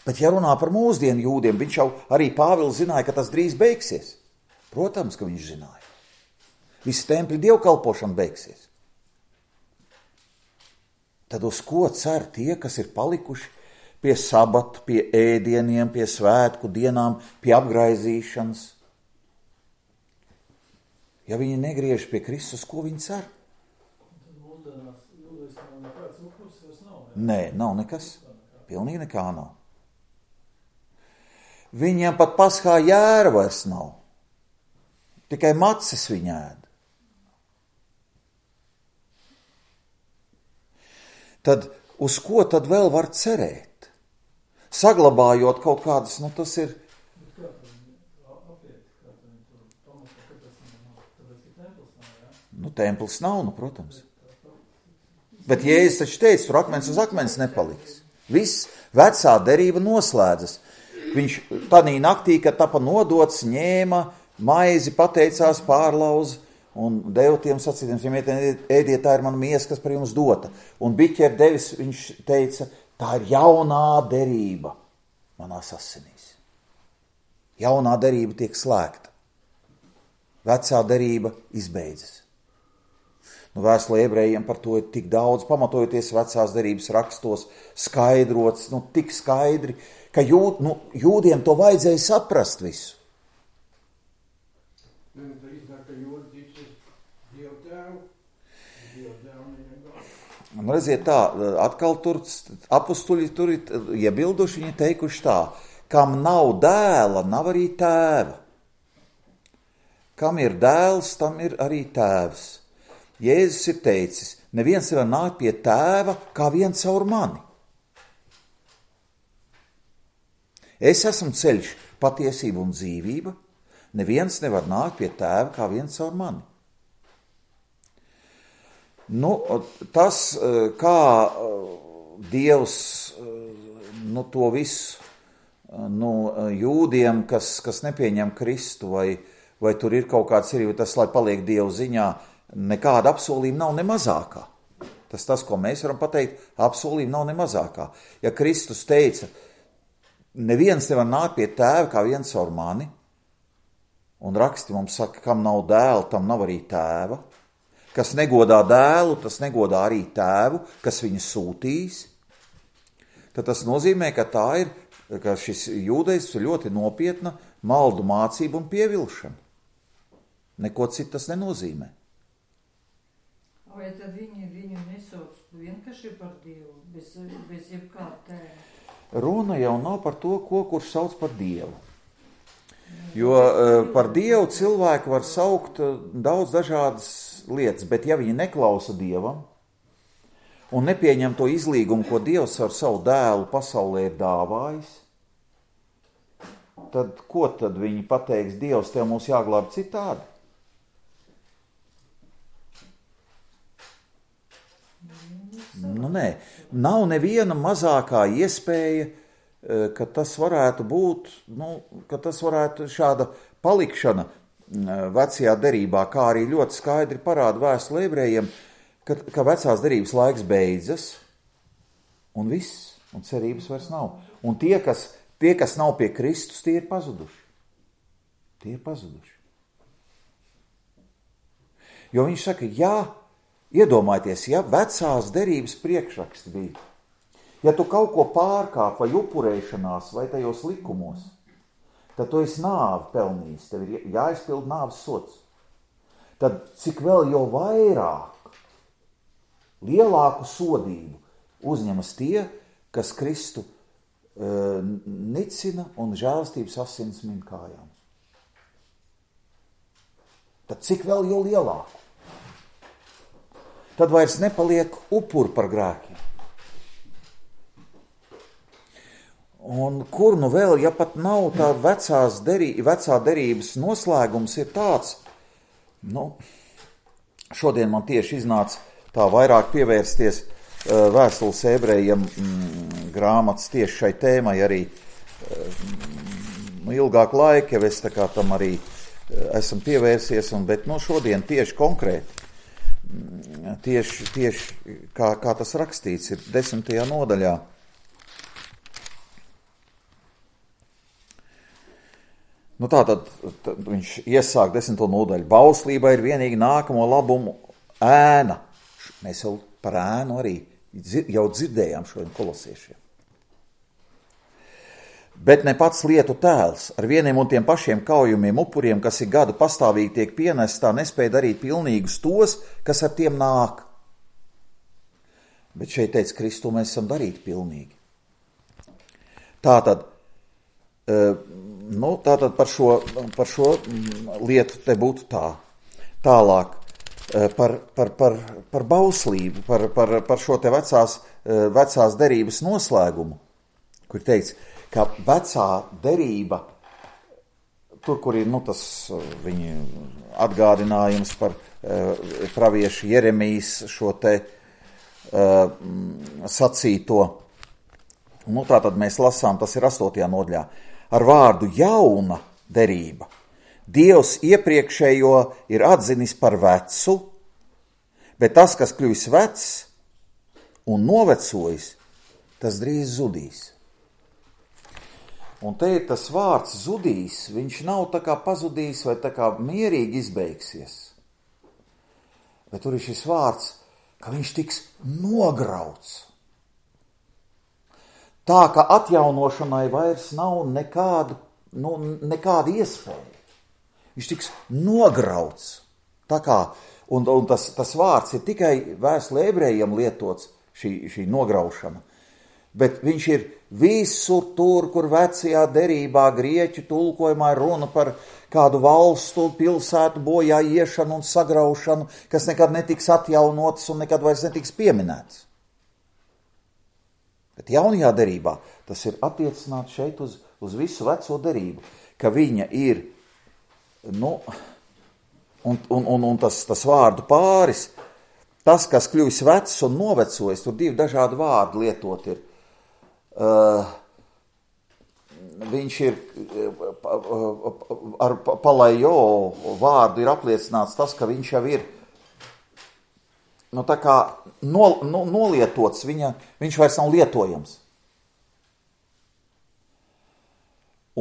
Bet ja runā par mūsdienu jūdiem, viņš jau arī Pāvils zināja, ka tas drīz beigsies. Protams, ka viņš zināja. Visi templi dievkalpošana beigsies. Tad uz ko cer tie, kas ir palikuši pie sabata, pie ēdieniem, pie svētku dienām, pie apgraizīšanas? Ja viņi negriež pie Kristus, ko viņi cer? Nē, nav nekas. Pilnīgi nekā nav. Viņiem pat paskā jēra vairs nav. Tikai macis viņi ēd. Tad uz ko tad vēl var cerēt? Saglabājot kaut kādas, nu tas ir... Nu, templis nav, nu, protams. Bet Jēzus taču teica, tur akmens uz akmens nepaliks. Viss vecā derība noslēdzas. Viņš tādī naktī, kad tapa nodots, ņēma maizi, pateicās, pārlauza un deva tiem sacītiem, ņemiet, ēdiet, tā ir mana miesa, kas par jums dota. Un biķer devis, viņš teica, tā ir jaunā derība manās asinīs. Jaunā derība tiek slēgta. Vecā derība izbeidzas. Nu, vēstulē ebrejiem par to ir tik daudz, pamatojoties vecās derības rakstos, skaidrots, nu, tik skaidri, ka jūd, nu, jūdiem to vajadzēja saprast visu. Un redziet tā, atkal tur apustuļi tur ir iebilduši, viņi teikuši tā, kam nav dēla, nav arī tēva. Kam ir dēls, tam ir arī tēvs. Jēzus ir teicis, neviens nevar nākt pie tēva kā vien caur mani. Es esmu ceļš, patiesība un dzīvība. Neviens nevar nākt pie tēva kā vien caur mani. Nu, tas, kā Dievs nu, to visu nu, jūdiem, kas, kas nepieņem Kristu, vai, vai tur ir kaut kāds ir, tas, lai paliek Dievu ziņā, nekāda apsolījuma nav ne mazākā. Tas tas, ko mēs varam pateikt, apsolījuma nav ne mazākā. Ja Kristus teica, neviens nevar nākt pie tēva kā viens caur mani, un raksti mums saka, kam nav dēla, tam nav arī tēva, kas negodā dēlu, tas negodā arī tēvu, kas viņu sūtīs, tad tas nozīmē, ka tā ir, ka šis jūdejs ir ļoti nopietna maldu mācība un pievilšana. Neko citu tas nenozīmē. Vai tad viņi viņu nesauc vienkārši par Dievu, bez, bez jebkāda tēva? Runa jau nav par to, ko kurš sauc par Dievu. Jo par Dievu cilvēki var saukt daudz dažādas lietas, bet ja viņi neklausa Dievam un nepieņem to izlīgumu, ko Dievs ar savu dēlu pasaulē ir dāvājis, tad ko tad viņi pateiks? Dievs, tev mūs jāglāb citādi? Nu, nē, nav neviena mazākā iespēja, ka tas varētu būt, nu, ka tas varētu šāda palikšana vecajā derībā, kā arī ļoti skaidri parāda vēstule ebrejiem, ka, ka vecās derības laiks beidzas, un viss, un cerības vairs nav. Un tie, kas, tie, kas nav pie Kristus, tie ir pazuduši. Tie ir pazuduši. Jo viņš saka, jā, iedomājieties, ja vecās derības priekšraksti bija, ja tu kaut ko pārkāp vai upurēšanās vai tajos likumos, tad tu esi nāvi pelnījis, tev ir jāizpild nāves sods. Tad cik vēl jau vairāk, lielāku sodību uzņemas tie, kas Kristu uh, nicina un žēlastības asins min kājām. Tad cik vēl jau lielāku? Tad vairs nepaliek upuri par grēkiem. Un kur nu vēl, ja pat nav tā vecās derī, vecā derības noslēgums ir tāds, nu, šodien man tieši iznāca tā vairāk pievērsties uh, vēstules ebrejiem mm, grāmatas tieši šai tēmai arī uh, ilgāk laika, jau es tā kā tam arī uh, esam pievērsies, un, bet no šodien tieši konkrēti, mm, tieši, tieši kā, kā tas rakstīts ir desmitajā nodaļā. Nu tā tad, tad viņš iesāk desmito nodaļu. Bauslība ir vienīgi nākamo labumu ēna. Mēs jau par ēnu arī jau dzirdējām šodien kolosiešiem. Bet ne pats lietu tēls ar vieniem un tiem pašiem kaujumiem upuriem, kas ir gadu pastāvīgi tiek pienest, tā nespēja darīt pilnīgus tos, kas ar tiem nāk. Bet šeit teica Kristu, mēs esam darīti pilnīgi. Tātad, nu, tātad par šo, par šo lietu te būtu tā. Tālāk, par, par, par, par bauslību, par, par, par šo te vecās, vecās derības noslēgumu, kur teica, ka vecā derība, tur, kur ir, nu, tas viņa atgādinājums par uh, praviešu Jeremijas šo te uh, sacīto, nu, tā tad mēs lasām, tas ir astotajā nodaļā, ar vārdu jauna derība. Dievs iepriekšējo ir atzinis par vecu, bet tas, kas kļuvis vecs un novecojis, tas drīz zudīs. Un te ir tas vārds zudīs, viņš nav tā kā pazudījis vai tā kā mierīgi izbeigsies. Bet tur ir šis vārds, ka viņš tiks nograuts. Tā, ka atjaunošanai vairs nav nekādu, nu, nekāda iespēja. Viņš tiks nograuts. Tā kā, un, un tas, tas vārds ir tikai vēstulē ebrejiem lietots, šī, šī nograušana. Bet viņš ir visur tur, kur vecajā derībā grieķu tulkojumā ir runa par kādu valstu, pilsētu bojā iešanu un sagraušanu, kas nekad netiks atjaunotas un nekad vairs netiks pieminēts. Bet jaunajā derībā tas ir attiecināts šeit uz, uz visu veco derību, ka viņa ir, nu, un, un, un, un tas, tas vārdu pāris, tas, kas kļuvis vecs un novecojis, tur divi dažādi vārdi lietot ir. Uh, viņš ir uh, ar palajo vārdu ir apliecināts tas, ka viņš jau ir nu, tā kā no, no, nolietots, viņa, viņš vairs nav lietojams.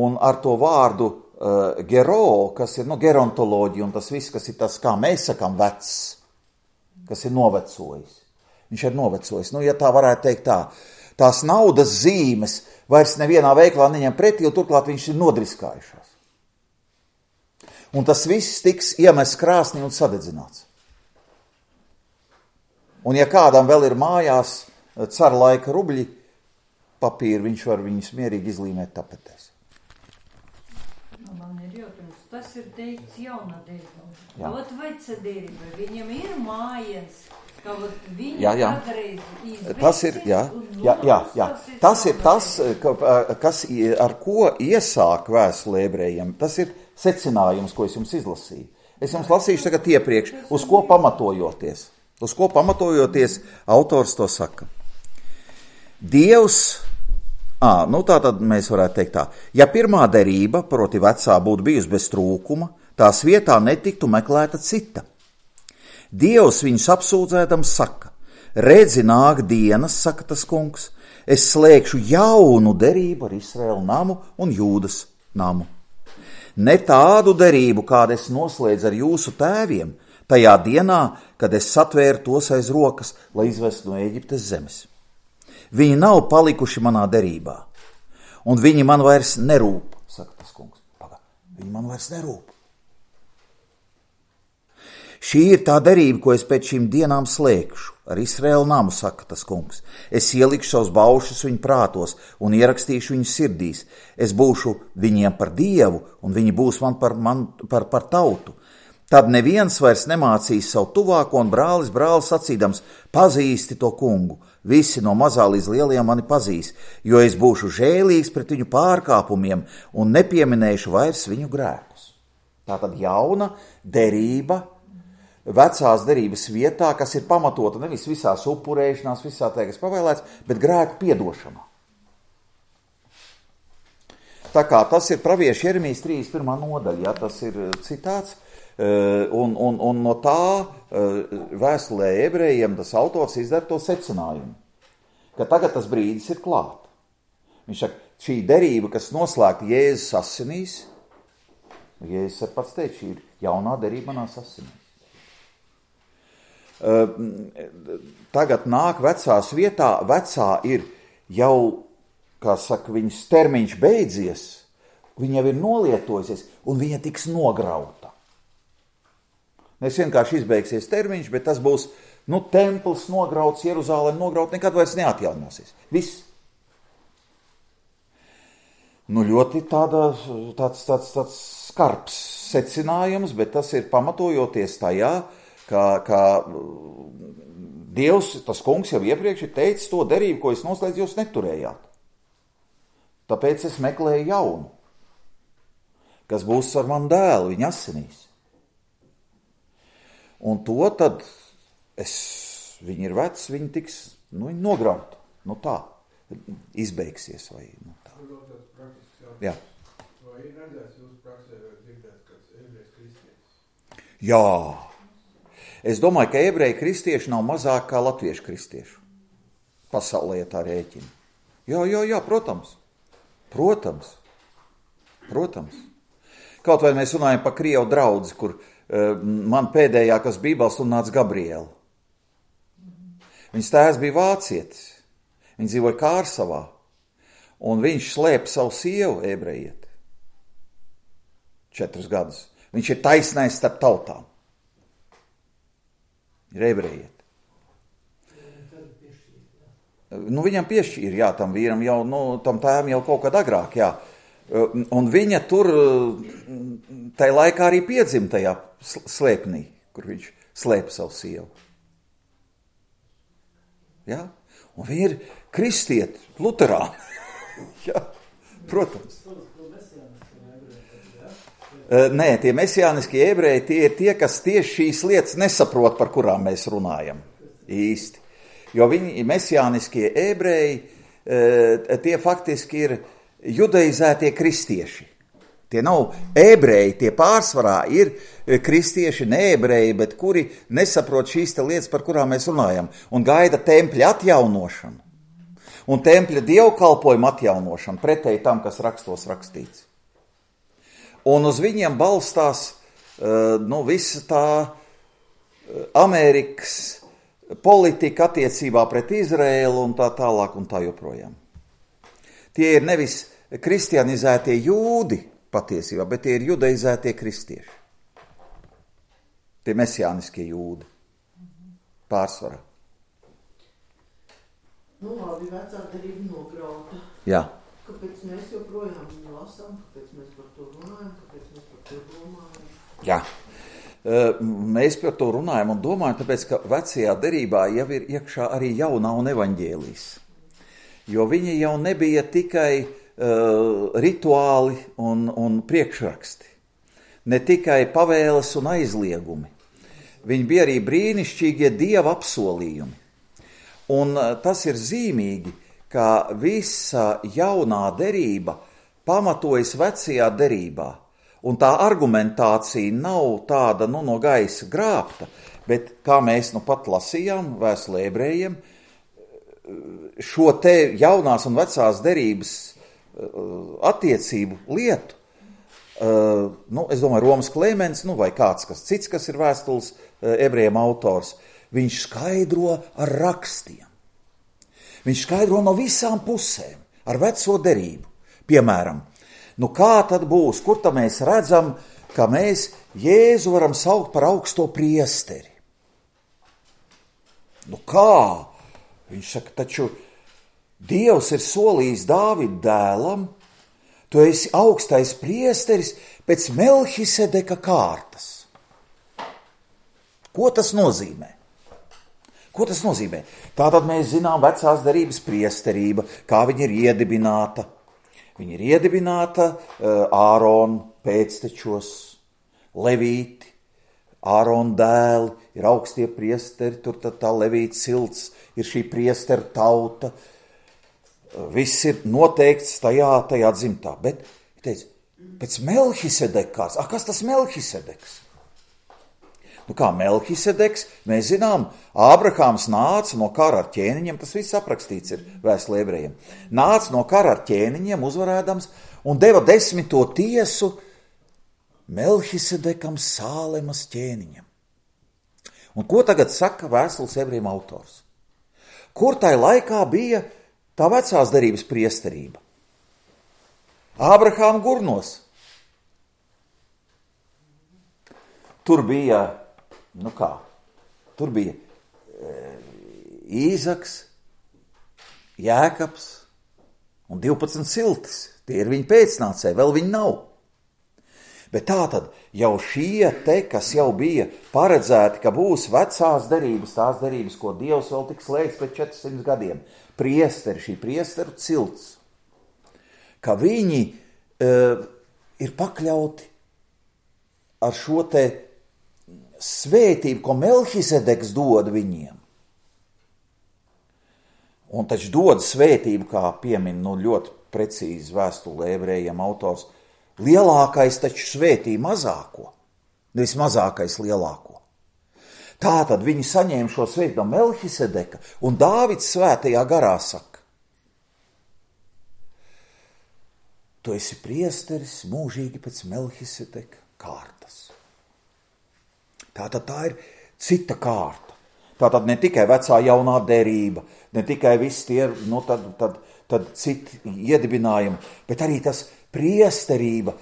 Un ar to vārdu uh, gero, kas ir nu, gerontoloģija un tas viss, kas ir tas, kā mēs sakām, vecs, kas ir novecojis. Viņš ir novecojis. Nu, ja tā varētu teikt tā, tās naudas zīmes vairs nevienā veiklā neņem pretī, jo turklāt viņš ir nodriskājušās. Un tas viss tiks iemests krāsnī un sadedzināts. Un ja kādam vēl ir mājās cara laika rubļi papīri, viņš var viņus mierīgi izlīmēt tapetēs. Man ir jautājums, tas ir teikts jauna derība. Ot veca derība, viņam ir mājas, ka ot viņi jā, jā. kādreiz izveicis Tas ir, jā. un Jā, jā, jā. Tas ir tas, kas, ar ko iesāk vēstule ebrejiem. Tas ir secinājums, ko es jums izlasīju. Es jums lasīšu tagad iepriekš, uz ko pamatojoties. Uz ko pamatojoties autors to saka. Dievs, ā, nu tā tad mēs varētu teikt tā, ja pirmā derība, proti vecā, būtu bijusi bez trūkuma, tās vietā netiktu meklēta cita. Dievs viņus apsūdzēdams saka, redzi nāk dienas, saka tas kungs, es slēgšu jaunu derību ar Izraēlu namu un Jūdas namu. Ne tādu derību, kādu es noslēdzu ar jūsu tēviem, tajā dienā, kad es satvēru tos aiz rokas, lai izvestu no Ēģiptes zemes. Viņi nav palikuši manā derībā, un viņi man vairs nerūp, saka tas kungs. Paga, viņi man vairs nerūp. Šī ir tā derība, ko es pēc šīm dienām slēgšu, ar Izraēlu namu, saka tas kungs. Es ielikšu savus baušus viņu prātos un ierakstīšu viņu sirdīs. Es būšu viņiem par dievu, un viņi būs man par, man, par, par tautu. Tad neviens vairs nemācīs savu tuvāko, un brālis brālis sacīdams, pazīsti to kungu. Visi no mazā līdz lielajiem mani pazīs, jo es būšu žēlīgs pret viņu pārkāpumiem un nepieminēšu vairs viņu grēkus. Tātad jauna derība, vecās derības vietā, kas ir pamatota nevis visās upurēšanās, visā tā, kas pavēlēts, bet grēku piedošanā. Tā kā tas ir pravieša Jeremijas trīsdesmit pirmā nodaļa, ja, tas ir citāts, un, un, un no tā vēstulē ebrejiem tas autors izdara to secinājumu, ka tagad tas brīdis ir klāt. Viņš saka, šī derība, kas noslēgta Jēzus asinīs, Jēzus ar pats teikt, šī ir jaunā derība manās asinīs. Tagad nāk vecās vietā, vecā ir jau, kā saka, viņas termiņš beidzies, viņa jau ir nolietojusies, un viņa tiks nograuta. Nes vienkārši izbeigsies termiņš, bet tas būs, nu, templis nograuts, Jeruzālēm nograuts, nekad vairs neatjaunosies. Viss. Nu, ļoti tāda, tāds, tāds, tāds skarbs secinājums, bet tas ir pamatojoties tajā, Kā, kā Dievs, tas kungs jau iepriekš ir teicis to derību, ko es noslēdzu, jūs neturējāt. Tāpēc es meklēju jaunu, kas būs ar manu dēlu, viņa asinīs. Un to tad, es, viņi ir veci, viņi tiks, nu, viņi nograuta. Nu tā, izbeigsies vai, nu tā. Jā. Vai ir redzēts jūsu praksē vai dzirdēts kāds ebrejs kristietis? Jā. Es domāju, ka ebreji kristieši nav mazāk kā latviešu kristiešu. Pasaulē, ja tā rēķina. Jā, jā, jā, protams. Protams. Protams. Kaut vai mēs runājam par Krievu draudzi, kur uh, man pēdējā, kas Bībeles un nāca Gabriela. Viņas tēvs bija vācietis. Viņš dzīvoja Kārsavā. Un viņš slēpa savu sievu ebrejieti. Četrus gadus. Viņš ir taisnais starp tautām. Ir ebrejieti. Nu, viņam piešķīra, jā, tam vīram jau, nu, tam tēvam jau kaut kad agrāk, jā. Un viņa tur, tajā laikā arī piedzima tajā slēpnī, kur viņš slēpa savu sievu. Jā? Un viņi ir kristieti, luterāni. Jā, protams. Nē, tie mesijāniskie ebreji, tie ir tie, kas tieši šīs lietas nesaprot, par kurām mēs runājam īsti. Jo viņi mesijāniskie ebreji, tie faktiski ir judaizētie kristieši. Tie nav ebreji, tie pārsvarā ir kristieši, ne ebreji, bet kuri nesaprot šīs te lietas, par kurām mēs runājam, un gaida tempļa atjaunošanu, un tempļa dievkalpojuma atjaunošanu, pretēji tam, kas rakstos rakstīts. Un uz viņiem balstās nu, visa tā Amerikas politika attiecībā pret Izraēlu un tā tālāk un tā joprojām. Tie ir nevis kristianizētie jūdi patiesībā, bet tie ir judaizētie kristieši. Tie mesijāniskie jūdi pārsvarā. Nu labi, vecā derība nograuta. Jā. Kāpēc mēs joprojām lasām, kāpēc mēs par to runājam, kāpēc mēs par to domājam? Jā, mēs par to runājam un domājam, tāpēc, ka vecajā derībā jau ir iekšā arī jaunā un evaņģēlijas. jo viņi jau nebija tikai uh, rituāli un, un priekšraksti, ne tikai pavēles un aizliegumi. Viņi bija arī brīnišķīgie Dieva apsolījumi. Un uh, tas ir zīmīgi, ka visa jaunā derība pamatojas vecajā derībā. Un tā argumentācija nav tāda nu, no gaisa grābta, bet, kā mēs nu pat lasījām vēstulē ebrejiem, šo te jaunās un vecās derības attiecību lietu, nu, es domāju, Romas Klemens, nu, vai kāds kas cits, kas ir vēstules ebrejiem autors, viņš skaidro ar rakstiem. Viņš skaidro no visām pusēm, ar veco derību. Piemēram, nu kā tad būs, kur tad mēs redzam, ka mēs Jēzu varam saukt par augsto priesteri? Nu kā? Viņš saka, taču Dievs ir solījis Dāvida dēlam, tu esi augstais priesteris pēc Melhisedeka kārtas. Ko tas nozīmē? Ko tas nozīmē? Tātad mēs zinām vecās derības priesterība, kā viņa ir iedibināta. Viņa ir iedibināta uh, Ārona pēctečos, Levīti, Ārona dēli, ir augstie priesteri, tur tad tā Levīta cilts, ir šī priesteru tauta. Viss ir noteikts tajā, tajā dzimtā. Bet, teica, pēc Melhisedekas, ah, kas tas Melhisedeks? Nu kā Melhisedeks, mēs zinām, Ābrahāms nāca no kara ar ķēniņiem, tas viss aprakstīts ir vēstulē ebrejiem. Nāca no kara ar ķēniņiem uzvarēdams un deva desmito tiesu Melhisedekam Sālemas ķēniņam. Un ko tagad saka vēstules ebrejiem autors? Kur tai laikā bija tā vecās derības priesterība? Ābrahāma gurnos. Tur bija Nu kā, tur bija e, Īzaks, Jēkabs un divpadsmit ciltis. Tie ir viņa pēcnācēji, vēl viņi nav. Bet tā tad jau šie te, kas jau bija paredzēti, ka būs vecās derības, tās derības, ko Dievs vēl tik slēgts pēc četrsimt gadiem, priesteri, šī priesteru cilts, ka viņi e, ir pakļauti ar šo te svētību, ko Melhisedeks dod viņiem. Un taču dod svētību, kā piemin nu, ļoti precīzi vēstulē ebrejiem autors, lielākais taču svētī mazāko, nevis mazākais lielāko. Tātad viņi saņēma šo svētību no Melhisedeka, un Dāvids svētajā garā saka, tu esi priesteris mūžīgi pēc Melhisedeka kārtas. Tātad tā ir cita kārta. Tātad ne tikai vecā jaunā derība, ne tikai viss tie, nu tad, tad, tad citi iedibinājumi, bet arī tas priesterība.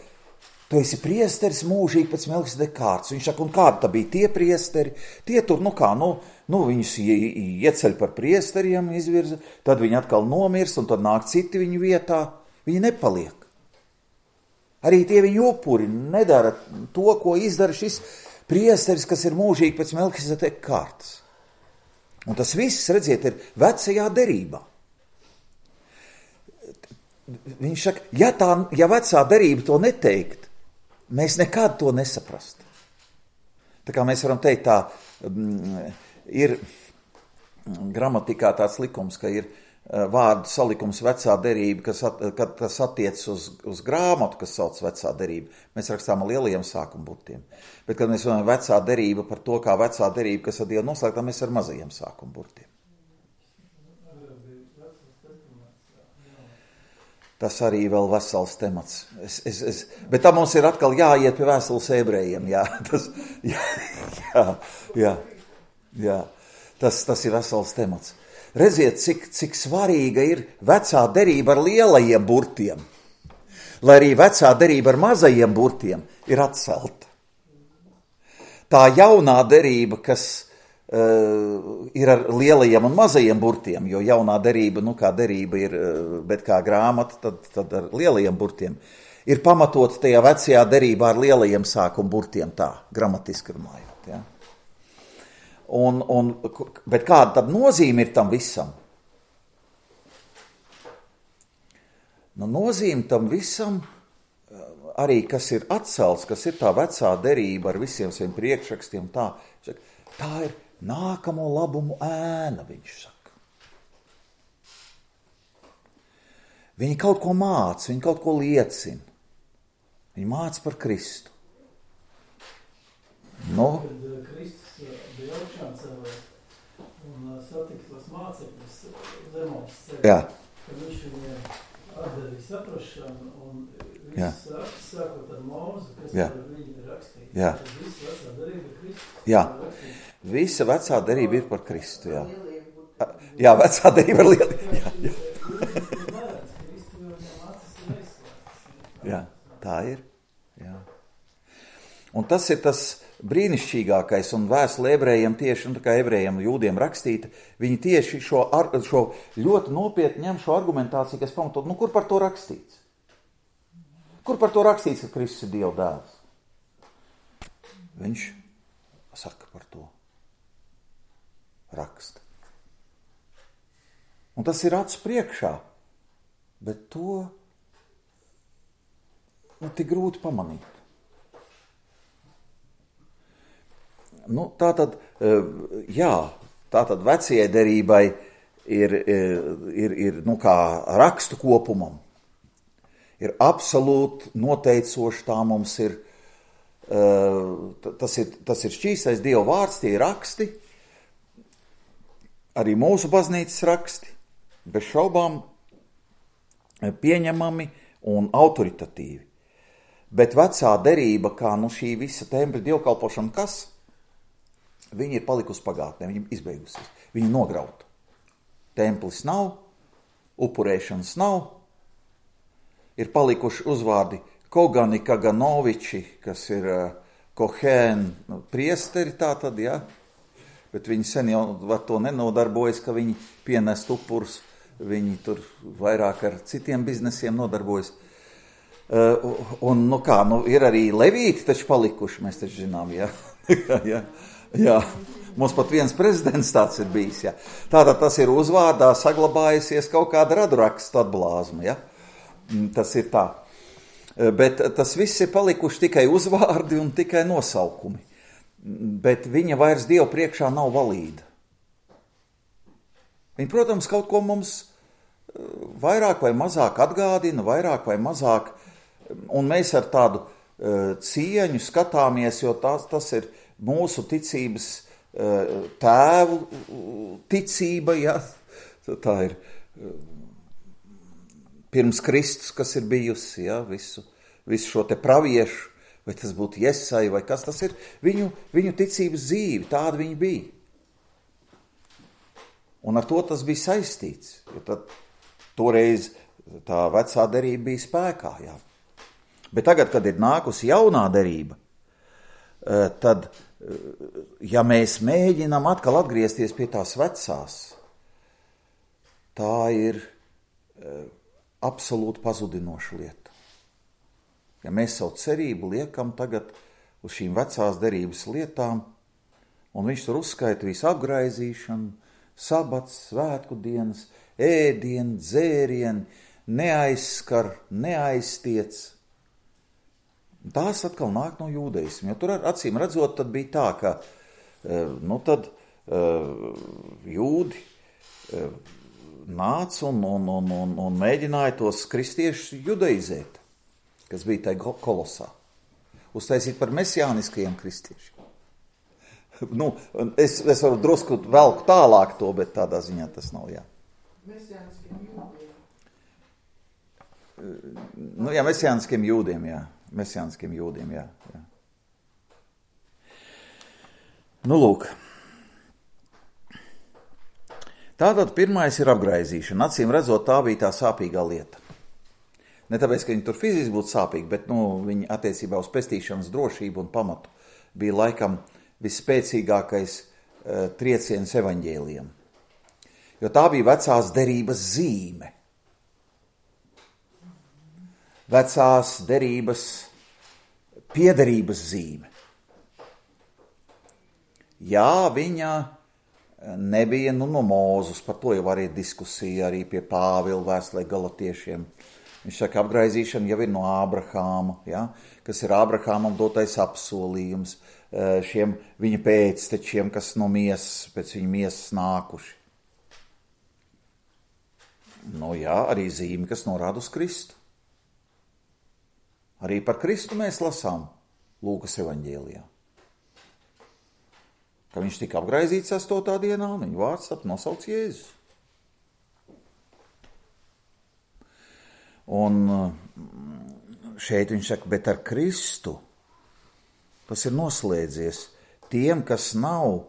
Tu esi priesteris mūžīgi pēc Melhisedeka kārtas. Viņš saka, un kādi tā bija tie priesteri? Tie tur, nu kā, nu, nu viņus ieceļ par priesteriem, izvirza, tad viņi atkal nomirst, un tad nāk citi viņu vietā. Viņi nepaliek. Arī tie viņu upuri nedara to, ko izdara šis priesteris, kas ir mūžīgi pēc Melhisedeka kārtas. Un tas viss, redziet, ir vecajā derībā. Viņš saka, ja, tā, ja vecā derība to neteikt, mēs nekad to nesaprast. Tā kā mēs varam teikt, tā ir gramatikā tāds likums, ka ir vārdu salikums vecā derība, kas at, kad tas attiec uz, uz grāmatu, kas sauc vecā derība. Mēs rakstām ar lielajiem sākumburtiem. Bet, kad mēs runājam vecā derība par to, kā vecā derība, kas ar Dievu noslēgtā, mēs ar mazajiem sākumburtiem. Tas arī vēl vesels temats. Es, es, es, bet tā mums ir atkal jāiet pie vēstules ebrejiem. Jā, tas, jā, jā, jā, jā. Tas, tas ir vesels temats. Redziet, cik, cik svarīga ir vecā derība ar lielajiem burtiem, lai arī vecā derība ar mazajiem burtiem ir atcelta. Tā jaunā derība, kas uh, ir ar lielajiem un mazajiem burtiem, jo jaunā derība, nu kā derība ir, uh, bet kā grāmata, tad, tad ar lielajiem burtiem, ir pamatot tajā vecajā derībā ar lielajiem sākuma burtiem, tā, gramatiski runājot, ja. Un, un, bet kāda tad nozīme ir tam visam? Nu, nozīme tam visam, arī kas ir atcelts, kas ir tā vecā derība ar visiem saviem priekšrakstiem, tā, tā ir nākamo labumu ēna, viņš saka. Viņi kaut ko māca, viņi kaut ko liecina. Viņi māca par Kristu. Nu, kad Kristus bija augšām celēs un satika tos mācekļus zemos ceļā, kad viņš viņiem atdarīja saprašanu un viss raksts sākot ar Mūzu, kas Jā. Ar viņu ir rakstīts. Jā. Visa vecā darība ir Kristus. Jā, visa vecā darība ir par Kristu, jā. Jā, vecā darība ir liela. Jā, jā. Jā, tā ir. Jā. Un tas ir tas brīnišķīgākais, un vēstule ebrejiem tieši, un tā kā ebrejiem jūdiem rakstīta, viņi tieši šo, ar, šo ļoti nopietni ņem šo argumentāciju, kas pamatot, nu kur par to rakstīts? Kur par to rakstīts, ka Kristus ir Dieva dēls? Viņš saka par to. Raksta. Un tas ir acu priekšā, bet to nu, tik grūti pamanīt. Nu, tā tad, jā, tā tad vecajai derībai ir, ir, ir nu, kā rakstu kopumam. Ir absolūti noteicoši, tā mums ir, tas ir, tas ir šķīstais Dieva vārds, tie ir raksti, arī mūsu baznīcas raksti, bez šaubām pieņemami un autoritatīvi. Bet vecā derība, kā nu šī visa tempļa dievkalpošana, kas? Viņi ir palikusi pagātnē, viņi ir izbeigusies, viņi nograuta. Templis nav, upurēšanas nav, ir palikuši uzvārdi Kogani Kaganoviči, kas ir uh, Kohēn priesteri, tā tad, jā, bet viņi sen jau ar to nenodarbojas, ka viņi pienest upurus, viņi tur vairāk ar citiem biznesiem nodarbojas. Uh, un, nu kā, nu ir arī levīti taču palikuši, mēs taču zinām, jā, jā. Jā, mums pat viens prezidents tāds ir bijis, jā. Tātad tas ir uzvārdā saglabājusies kaut kāda radurakstu atblāzma, jā. Tas ir tā. Bet tas viss ir palikuši tikai uzvārdi un tikai nosaukumi. Bet viņa vairs Dievu priekšā nav valīda. Viņa, protams, kaut ko mums vairāk vai mazāk atgādina, vairāk vai mazāk, un mēs ar tādu uh, cieņu skatāmies, jo tas, tas ir mūsu ticības tēvu ticība, jā, tā ir pirms Kristus, kas ir bijusi, jā, visu, visu šo te praviešu, vai tas būtu Jesai, vai kas tas ir, viņu, viņu ticības dzīve, tāda viņa bija. Un ar to tas bija saistīts, jo tad toreiz tā vecā derība bija spēkā, jā. Bet tagad, kad ir nākusi jaunā derība, tad ja mēs mēģinām atkal atgriezties pie tās vecās, tā ir absolūti pazudinoša lieta. Ja mēs savu cerību liekam tagad uz šīm vecās derības lietām, un viņš tur uzskaita visu apgraizīšanu, sabats, svētku dienas, ēdienu, dzērienu, neaizskar, neaiztiec. Tās atkal nāk no jūdeisma, jo tur acīm redzot, tad bija tā, ka nu tad jūdi nāca un, un, un, un, un mēģināja tos kristiešus judaizēt, kas bija tai kolosā, uztaisīt par mesiāniskajiem kristiešiem. Nu, es, es varu drusku velku tālāk to, bet tādā ziņā tas nav, jā. Mesiāniskiem jūdiem. Nu, jā, mesiāniskiem jūdiem, jā. Mesiāniskiem jūdiem, jā, jā. Nu, lūk. Tātad pirmais ir apgraizīšana. Acīm redzot, tā bija tā sāpīgā lieta. Ne tāpēc, ka viņi tur fiziski būtu sāpīgi, bet, nu, viņi attiecībā uz pestīšanas drošību un pamatu bija laikam visspēcīgākais uh, trieciens evaņģēlijam. Jo tā bija vecās derības zīme. Vecās derības piederības zīme. Jā, viņa nebija nu, no Mūzus, par to jau arī diskusija arī pie Pāvila vēstulē Galatiešiem. Viņš saka, apgraizīšana jau ir no Ābrahāma, ja? Kas ir Ābrahāmam dotais apsolījums šiem viņa pēctečiem, kas no miesas, pēc viņa miesas nākuši. Nu jā, arī zīme, kas norāda uz Kristu. Arī par Kristu mēs lasām Lūkas evaņģēlijā. Ka viņš tika apgraizīts astotā dienā, un viņa vārds tap nosaukts Jēzus. Un šeit viņš saka, bet ar Kristu tas ir noslēdzies tiem, kas nav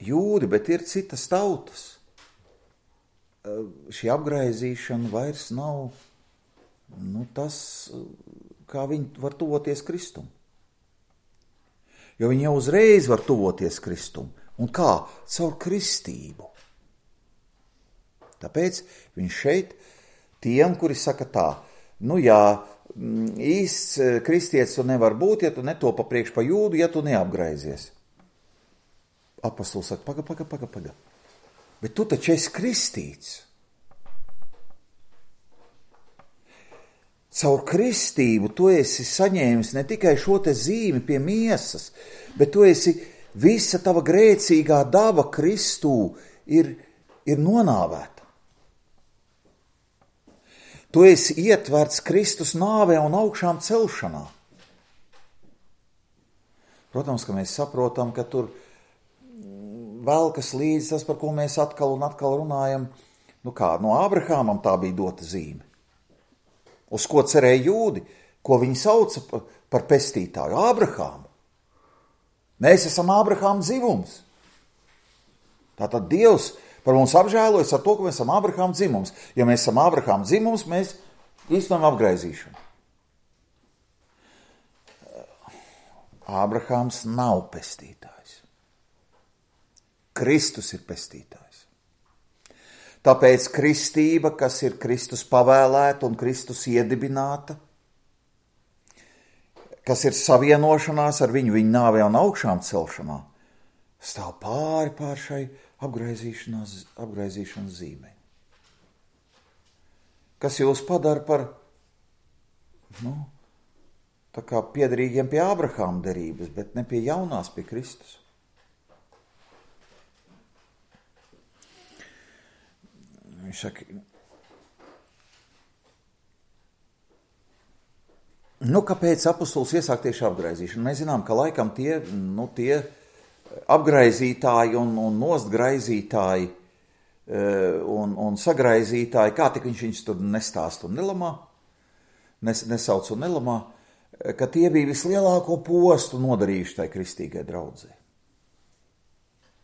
jūdi, bet ir citas tautas. Šī apgraizīšana vairs nav nu, tas, kā viņi var tuvoties Kristum. Jo viņi jau uzreiz var tuvoties Kristum. Un kā? Caur kristību. Tāpēc viņš šeit tiem, kuri saka tā, nu jā, īsts kristietis tu nevar būt, ja tu netopa priekš pa jūdu, ja tu neapgraizies. Apostols saka, paga, paga, paga, paga. Bet tu taču esi kristīts. Caur kristību tu esi saņēmis ne tikai šo te zīmi pie miesas, bet tu esi, visa tava grēcīgā daba Kristū ir, ir nonāvēta. Tu esi ietverts Kristus nāvē un augšām celšanā. Protams, ka mēs saprotam, ka tur velkas līdz tas, par ko mēs atkal un atkal runājam, nu kā, no Ābrahāmam tā bija dota zīme. Uz ko cerēja jūdi, ko viņi sauca par pestītāju? Ābrahāmu. Mēs esam Ābrahāma dzimums. Tātad Dievs par mums apžēlojas ar to, ka mēs esam Ābrahāma dzimums. Ja mēs esam Ābrahāma dzimums, mēs īstenojam apgraizīšanu. Ābrahāms nav pestītājs. Kristus ir pestītājs. Tāpēc kristība, kas ir Kristus pavēlēta un Kristus iedibināta, kas ir savienošanās ar viņu, viņa nāvē un augšām celšanā, stāv pāri pār šai apgraizīšanas zīmei. Kas jūs padara par, nu, tā kā piederīgiem pie Ābrahāma derības, bet ne pie jaunās, pie Kristus. Viņš saka, nu, kāpēc apostols iesāk tieši apgraizīšanu? Mēs zinām, ka laikam tie, nu, tie apgraizītāji un, un nostgraizītāji un, un sagraizītāji, kā tik viņš viņus tur nestāst un nelamā, nes, nesauc un nelamā, ka tie bija vislielāko postu nodarījuši tai kristīgai draudzē.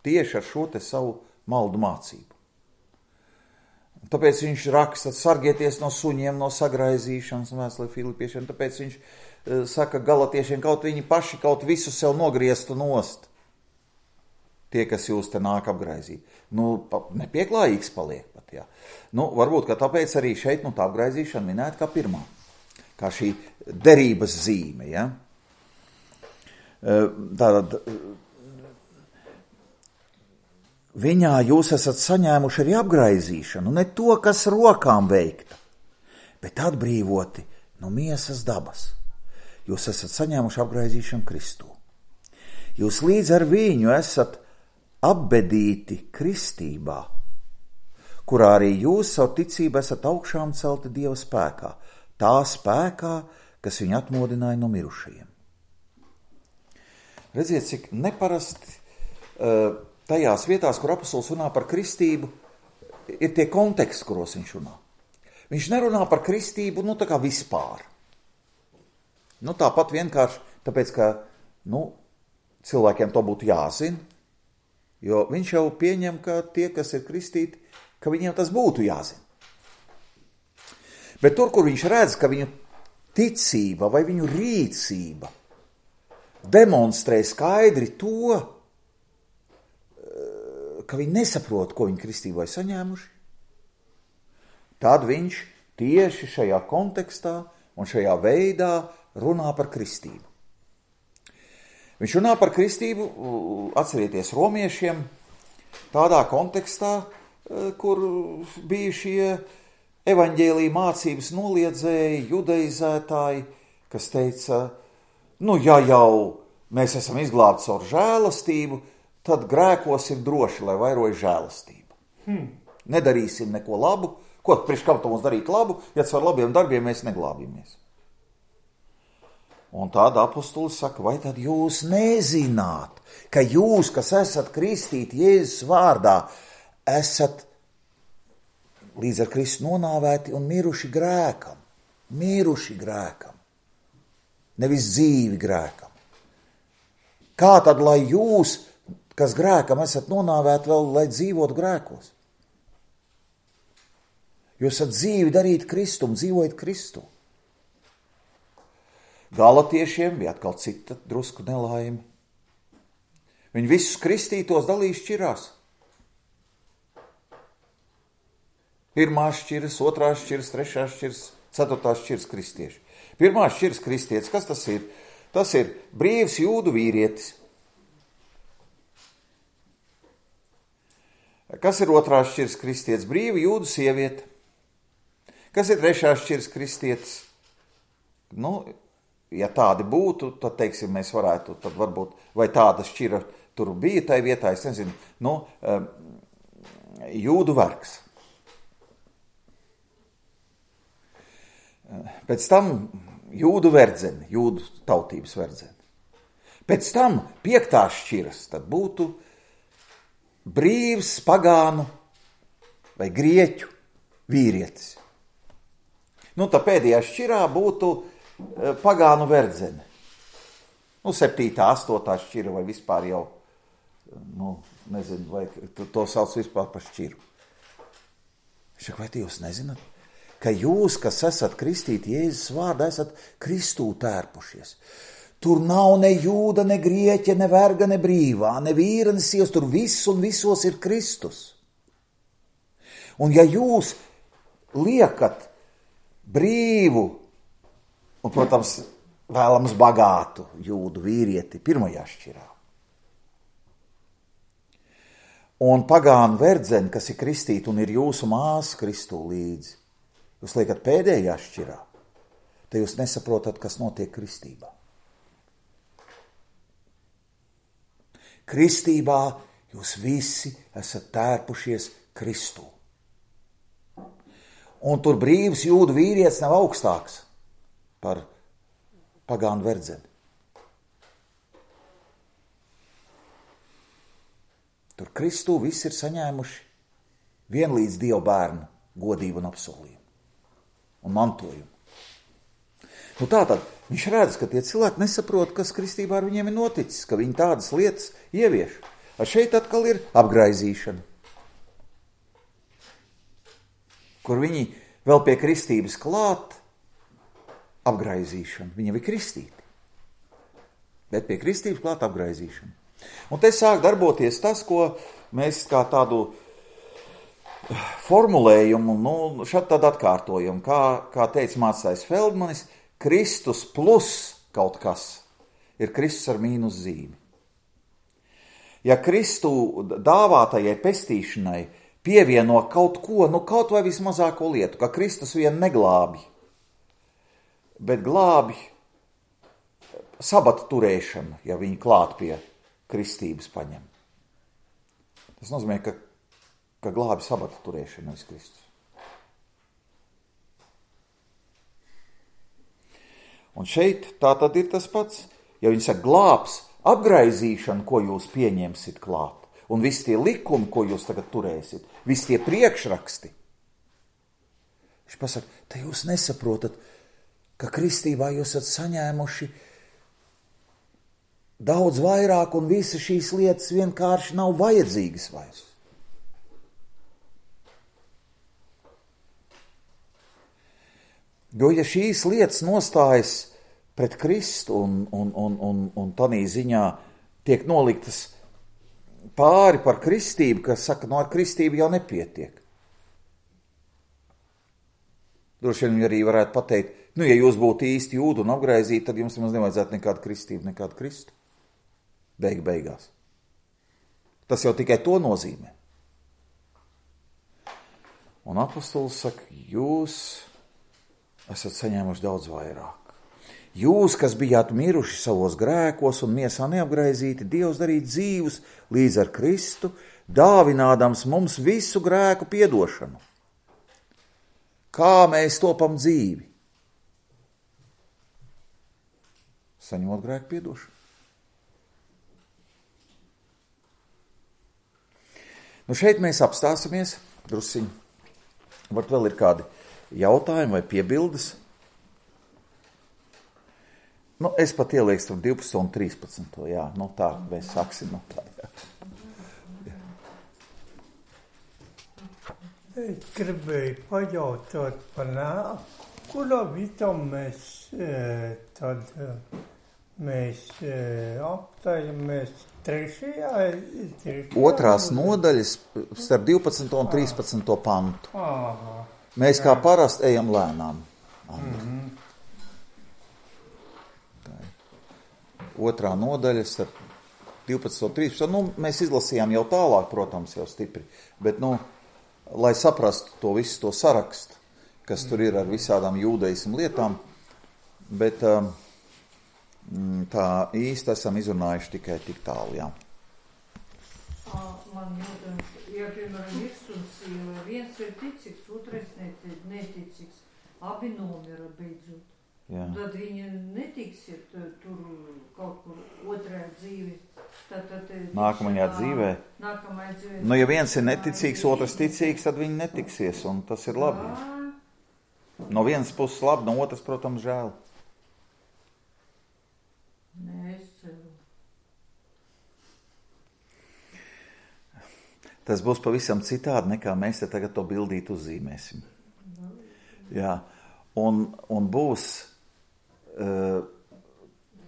Tieši ar šo te savu maldu mācību. Tāpēc viņš raksta, sargieties no suņiem, no sagraizīšanas, vēstulē Filipiešiem, tāpēc viņš saka galatiešiem, kaut viņi paši kaut visu sev nogrieztu nost. Tie, kas jūs te nāk apgraizīt. Nu, nepieklājīgs paliek pat, jā. Nu, varbūt, ka tāpēc arī šeit, nu, tā apgraizīšana minēta kā pirmā, kā šī derības zīme, jā. Tātad, viņā jūs esat saņēmuši arī apgraizīšanu, ne to, kas rokām veikta, bet atbrīvoti no miesas dabas. Jūs esat saņēmuši apgraizīšanu Kristū. Jūs līdz ar viņu esat apbedīti kristībā, kurā arī jūs savu ticību esat augšām celti Dieva spēkā, tā spēkā, kas viņu atmodināja no mirušajiem. Redziet, cik neparasti uh, tajās vietās, kur apostols runā par kristību, ir tie konteksti, kuros viņš runā. Viņš nerunā par kristību, nu, tā kā vispār. Nu, tāpat vienkārši, tāpēc, ka, nu, cilvēkiem to būtu jāzina, jo viņš jau pieņem, ka tie, kas ir kristīti, ka viņiem tas būtu jāzina. Bet tur, kur viņš redz, ka viņu ticība vai viņu rīcība demonstrē skaidri to, ka viņi nesaprot, ko viņi kristībā ir saņēmuši, tad viņš tieši šajā kontekstā un šajā veidā runā par kristību. Viņš runā par kristību, atcerieties, romiešiem, tādā kontekstā, kur bija šie evaņģēlija mācības noliedzēji, judaizētāji, kas teica, nu, ja jau mēs esam izglābti caur žēlastību, tad grēkos ir droši, lai vairoja žēlastību. Hmm. Nedarīsim neko labu. Ko priekš kam to mums darīt labu, ja ar labiem darbiem mēs neglābjamies? Un tāda apustulis saka, vai tad jūs nezināt, ka jūs, kas esat kristīti Jēzus vārdā, esat līdz ar Kristu nonāvēti un miruši grēkam. Miruši grēkam. Nevis dzīvi grēkam. Kā tad, lai jūs, kas grēkam esat nonāvēti vēl, lai dzīvotu grēkos? Jūs esat dzīvi darīt Kristum, dzīvojat Kristu. Galatiešiem bija atkal cita drusku nelaime. Viņi visus kristītos dalīja šķirās. Pirmās šķiras, otrās šķiras, trešās šķiras, ceturtās šķiras kristieši. Pirmās šķiras kristietis, kas tas ir? Tas ir brīvs jūdu vīrietis. Kas ir otrās šķiras kristietis? Brīva jūdu sieviete. Kas ir trešās šķiras kristietis? Nu, ja tādi būtu, tad, teiksim, mēs varētu, tad varbūt, vai tāda šķira tur bija tai vietā, es nezinu, nu, jūdu vergs. Pēc tam jūdu verdzeni, jūdu tautības verdzeni. Pēc tam piektās šķiras, tad būtu brīvs pagānu vai grieķu vīrietis. Nu, tā pēdējā šķirā būtu pagānu verdzene. Nu, septītā, astotā šķira vai vispār jau, nu, nezinu, vai to sauc vispār par šķiru. Šak, vai jūs nezināt, ka jūs, kas esat kristīti Jēzus vārdā, esat Kristū tērpušies? Tur nav ne jūda, ne grieķa, ne verga, ne brīvā, ne vīra, ne sievas, tur viss un visos ir Kristus. Un ja jūs liekat brīvu un, protams, vēlams bagātu jūdu vīrieti pirmajā šķirā. Un pagānu verdzeni, kas ir kristīta un ir jūsu māsa Kristū līdzi, jūs liekat pēdējā šķirā, tad jūs nesaprotat, kas notiek kristībā. Kristībā jūs visi esat tērpušies Kristū. Un tur brīvs jūdu vīrietis nav augstāks par pagānu verdzeni. Tur Kristū visi ir saņēmuši vienlīdz Dieva bērnu godību un apsolījumu un mantojumu. Nu tātad viņš redz, ka tie cilvēki nesaprot, kas kristībā ar viņiem ir noticis, ka viņi tādas lietas ievieš. Ar šeit atkal ir apgraizīšana, kur viņi vēl pie kristības klāt apgraizīšanu. Viņi ir kristīti, bet pie kristības klāt apgraizīšanu. Un te sāk darboties tas, ko mēs kā tādu formulējumu, nu, šad tad atkārtojam, kā, kā teica mācājs Feldmanis, Kristus plus kaut kas ir Kristus ar mīnus zīmi. Ja Kristu dāvātajai pestīšanai pievieno kaut ko, nu kaut vai vismazāko lietu, ka Kristus vien neglābj, bet glābj sabata turēšanu, ja viņi klāt pie kristības paņem. Tas nozīmē, ka, ka glābj sabata turēšanu, nevis Kristus. Un šeit tā tad ir tas pats. Ja viņi saka glābs apgraizīšanu, ko jūs pieņemsit klāt, un visi tie likumi, ko jūs tagad turēsit, visi tie priekšraksti. Viņš pasaka, te jūs nesaprotat, ka kristībā jūs esat saņēmuši daudz vairāk, un visas šīs lietas vienkārši nav vajadzīgas vairs. Jo, ja šīs lietas nostājas pret Kristu un, un, un, un, un tanī ziņā tiek noliktas pāri par kristību, kas saka, no ar kristību jau nepietiek. Droši vien viņi arī varētu pateikt, nu, ja jūs būtu īsti jūdi un apgraizīti, tad jums nemaz nevajadzētu nekādu kristību, nekādu Kristu. Beig beigās. Tas jau tikai to nozīmē. Un apostols saka, jūs esat saņēmuši daudz vairāk. Jūs, kas bijāt miruši savos grēkos un miesā neapgraizīti, Dievs darīja dzīvus līdz ar Kristu, dāvinādams mums visu grēku piedošanu. Kā mēs topam dzīvi? Saņemot grēku piedošanu. Nu šeit mēs apstāsimies drusciņi. Varbūt vēl ir kādi jautājumi vai piebildes. Nu, es pat ielieku starp divpadsmito un trīspadsmito, jā, nu tā, mēs sāksim no tā, jā. Es gribēju pajautāt par nāku, kurā vietā mēs tad mēs aptājamies trešajā, trešajā? Otrās nodaļas starp divpadsmito un trīspadsmito pantu. Aha. Mēs kā parasti ejam lēnām. Mm-hmm. Otrā nodaļa starp divpadsmito un trīspadsmito. Nu, mēs izlasījām jau tālāk, protams, jau stipri, bet, nu, lai saprastu to visu to sarakstu, kas tur ir ar visādām jūdaismu lietām, bet um, tā īsti esam izrunājuši tikai tik tālu, jā. Man jautājums, ja, piemēram, virs un sīva, viens ir ticīgs, otrais neticīgs, abi nomira beidzot. Jā. Tad viņi netiksiet tur kaut kur otrajā dzīvi. Tad, tad, nākamajā tā, dzīvē. Nākamajā dzīvē. Nu, ja viens ir neticīgs, otrs ticīgs, tad viņi netiksies, un tas ir labi. Jā. No vienas puses labi, no otras, protams, žēl. Nē, es ceru. Tas būs pavisam citādi, nekā mēs te tagad to bildīt uzzīmēsim. Jā, un, un būs uh,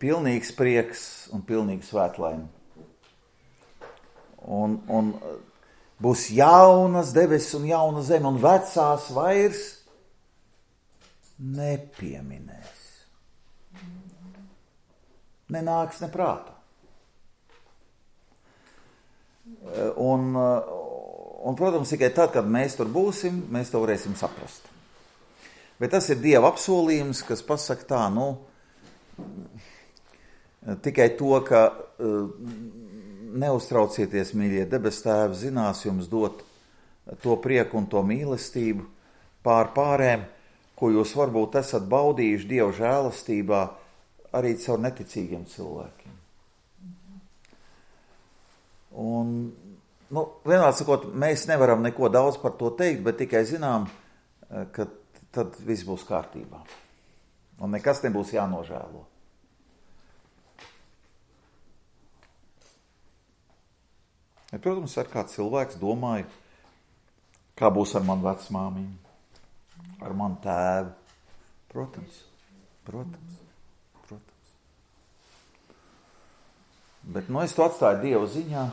pilnīgs prieks un pilnīgs svētlaime. Un, un uh, būs jaunas debesis un jauna zeme, un vecās vairs nepieminēs. Nenāks ne prātā. Un, un, protams, tikai tad, kad mēs tur būsim, mēs to varēsim saprast. Bet tas ir Dieva apsolījums, kas pasaka tā, nu, tikai to, ka neuztraucieties, mīļie debes tēvi, zinās jums dot to prieku un to mīlestību pār pārēm, ko jūs varbūt esat baudījuši Dieva žēlastībā arī caur neticīgiem cilvēkiem. Un, nu, vienmēr sakot, mēs nevaram neko daudz par to teikt, bet tikai zinām, ka tad viss būs kārtībā. Un nekas nebūs jānožēlo. Ja, protams, ar kāds cilvēks domāju, kā būs ar manu vecmāmiņu, ar manu tēvu. Protams, protams, protams. Bet, nu, es to atstāju Dieva ziņā,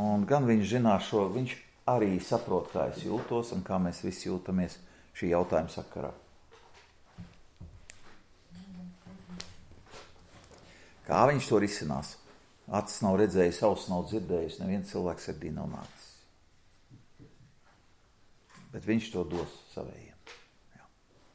un gan viņš zinās šo, viņš arī saprot, kā es jūtos un kā mēs visi jūtamies šī jautājuma sakarā. Kā viņš to risinās? Acis nav redzējis, auss nav dzirdējis, neviens cilvēks sirdī nav nācis. Bet viņš to dos savējiem.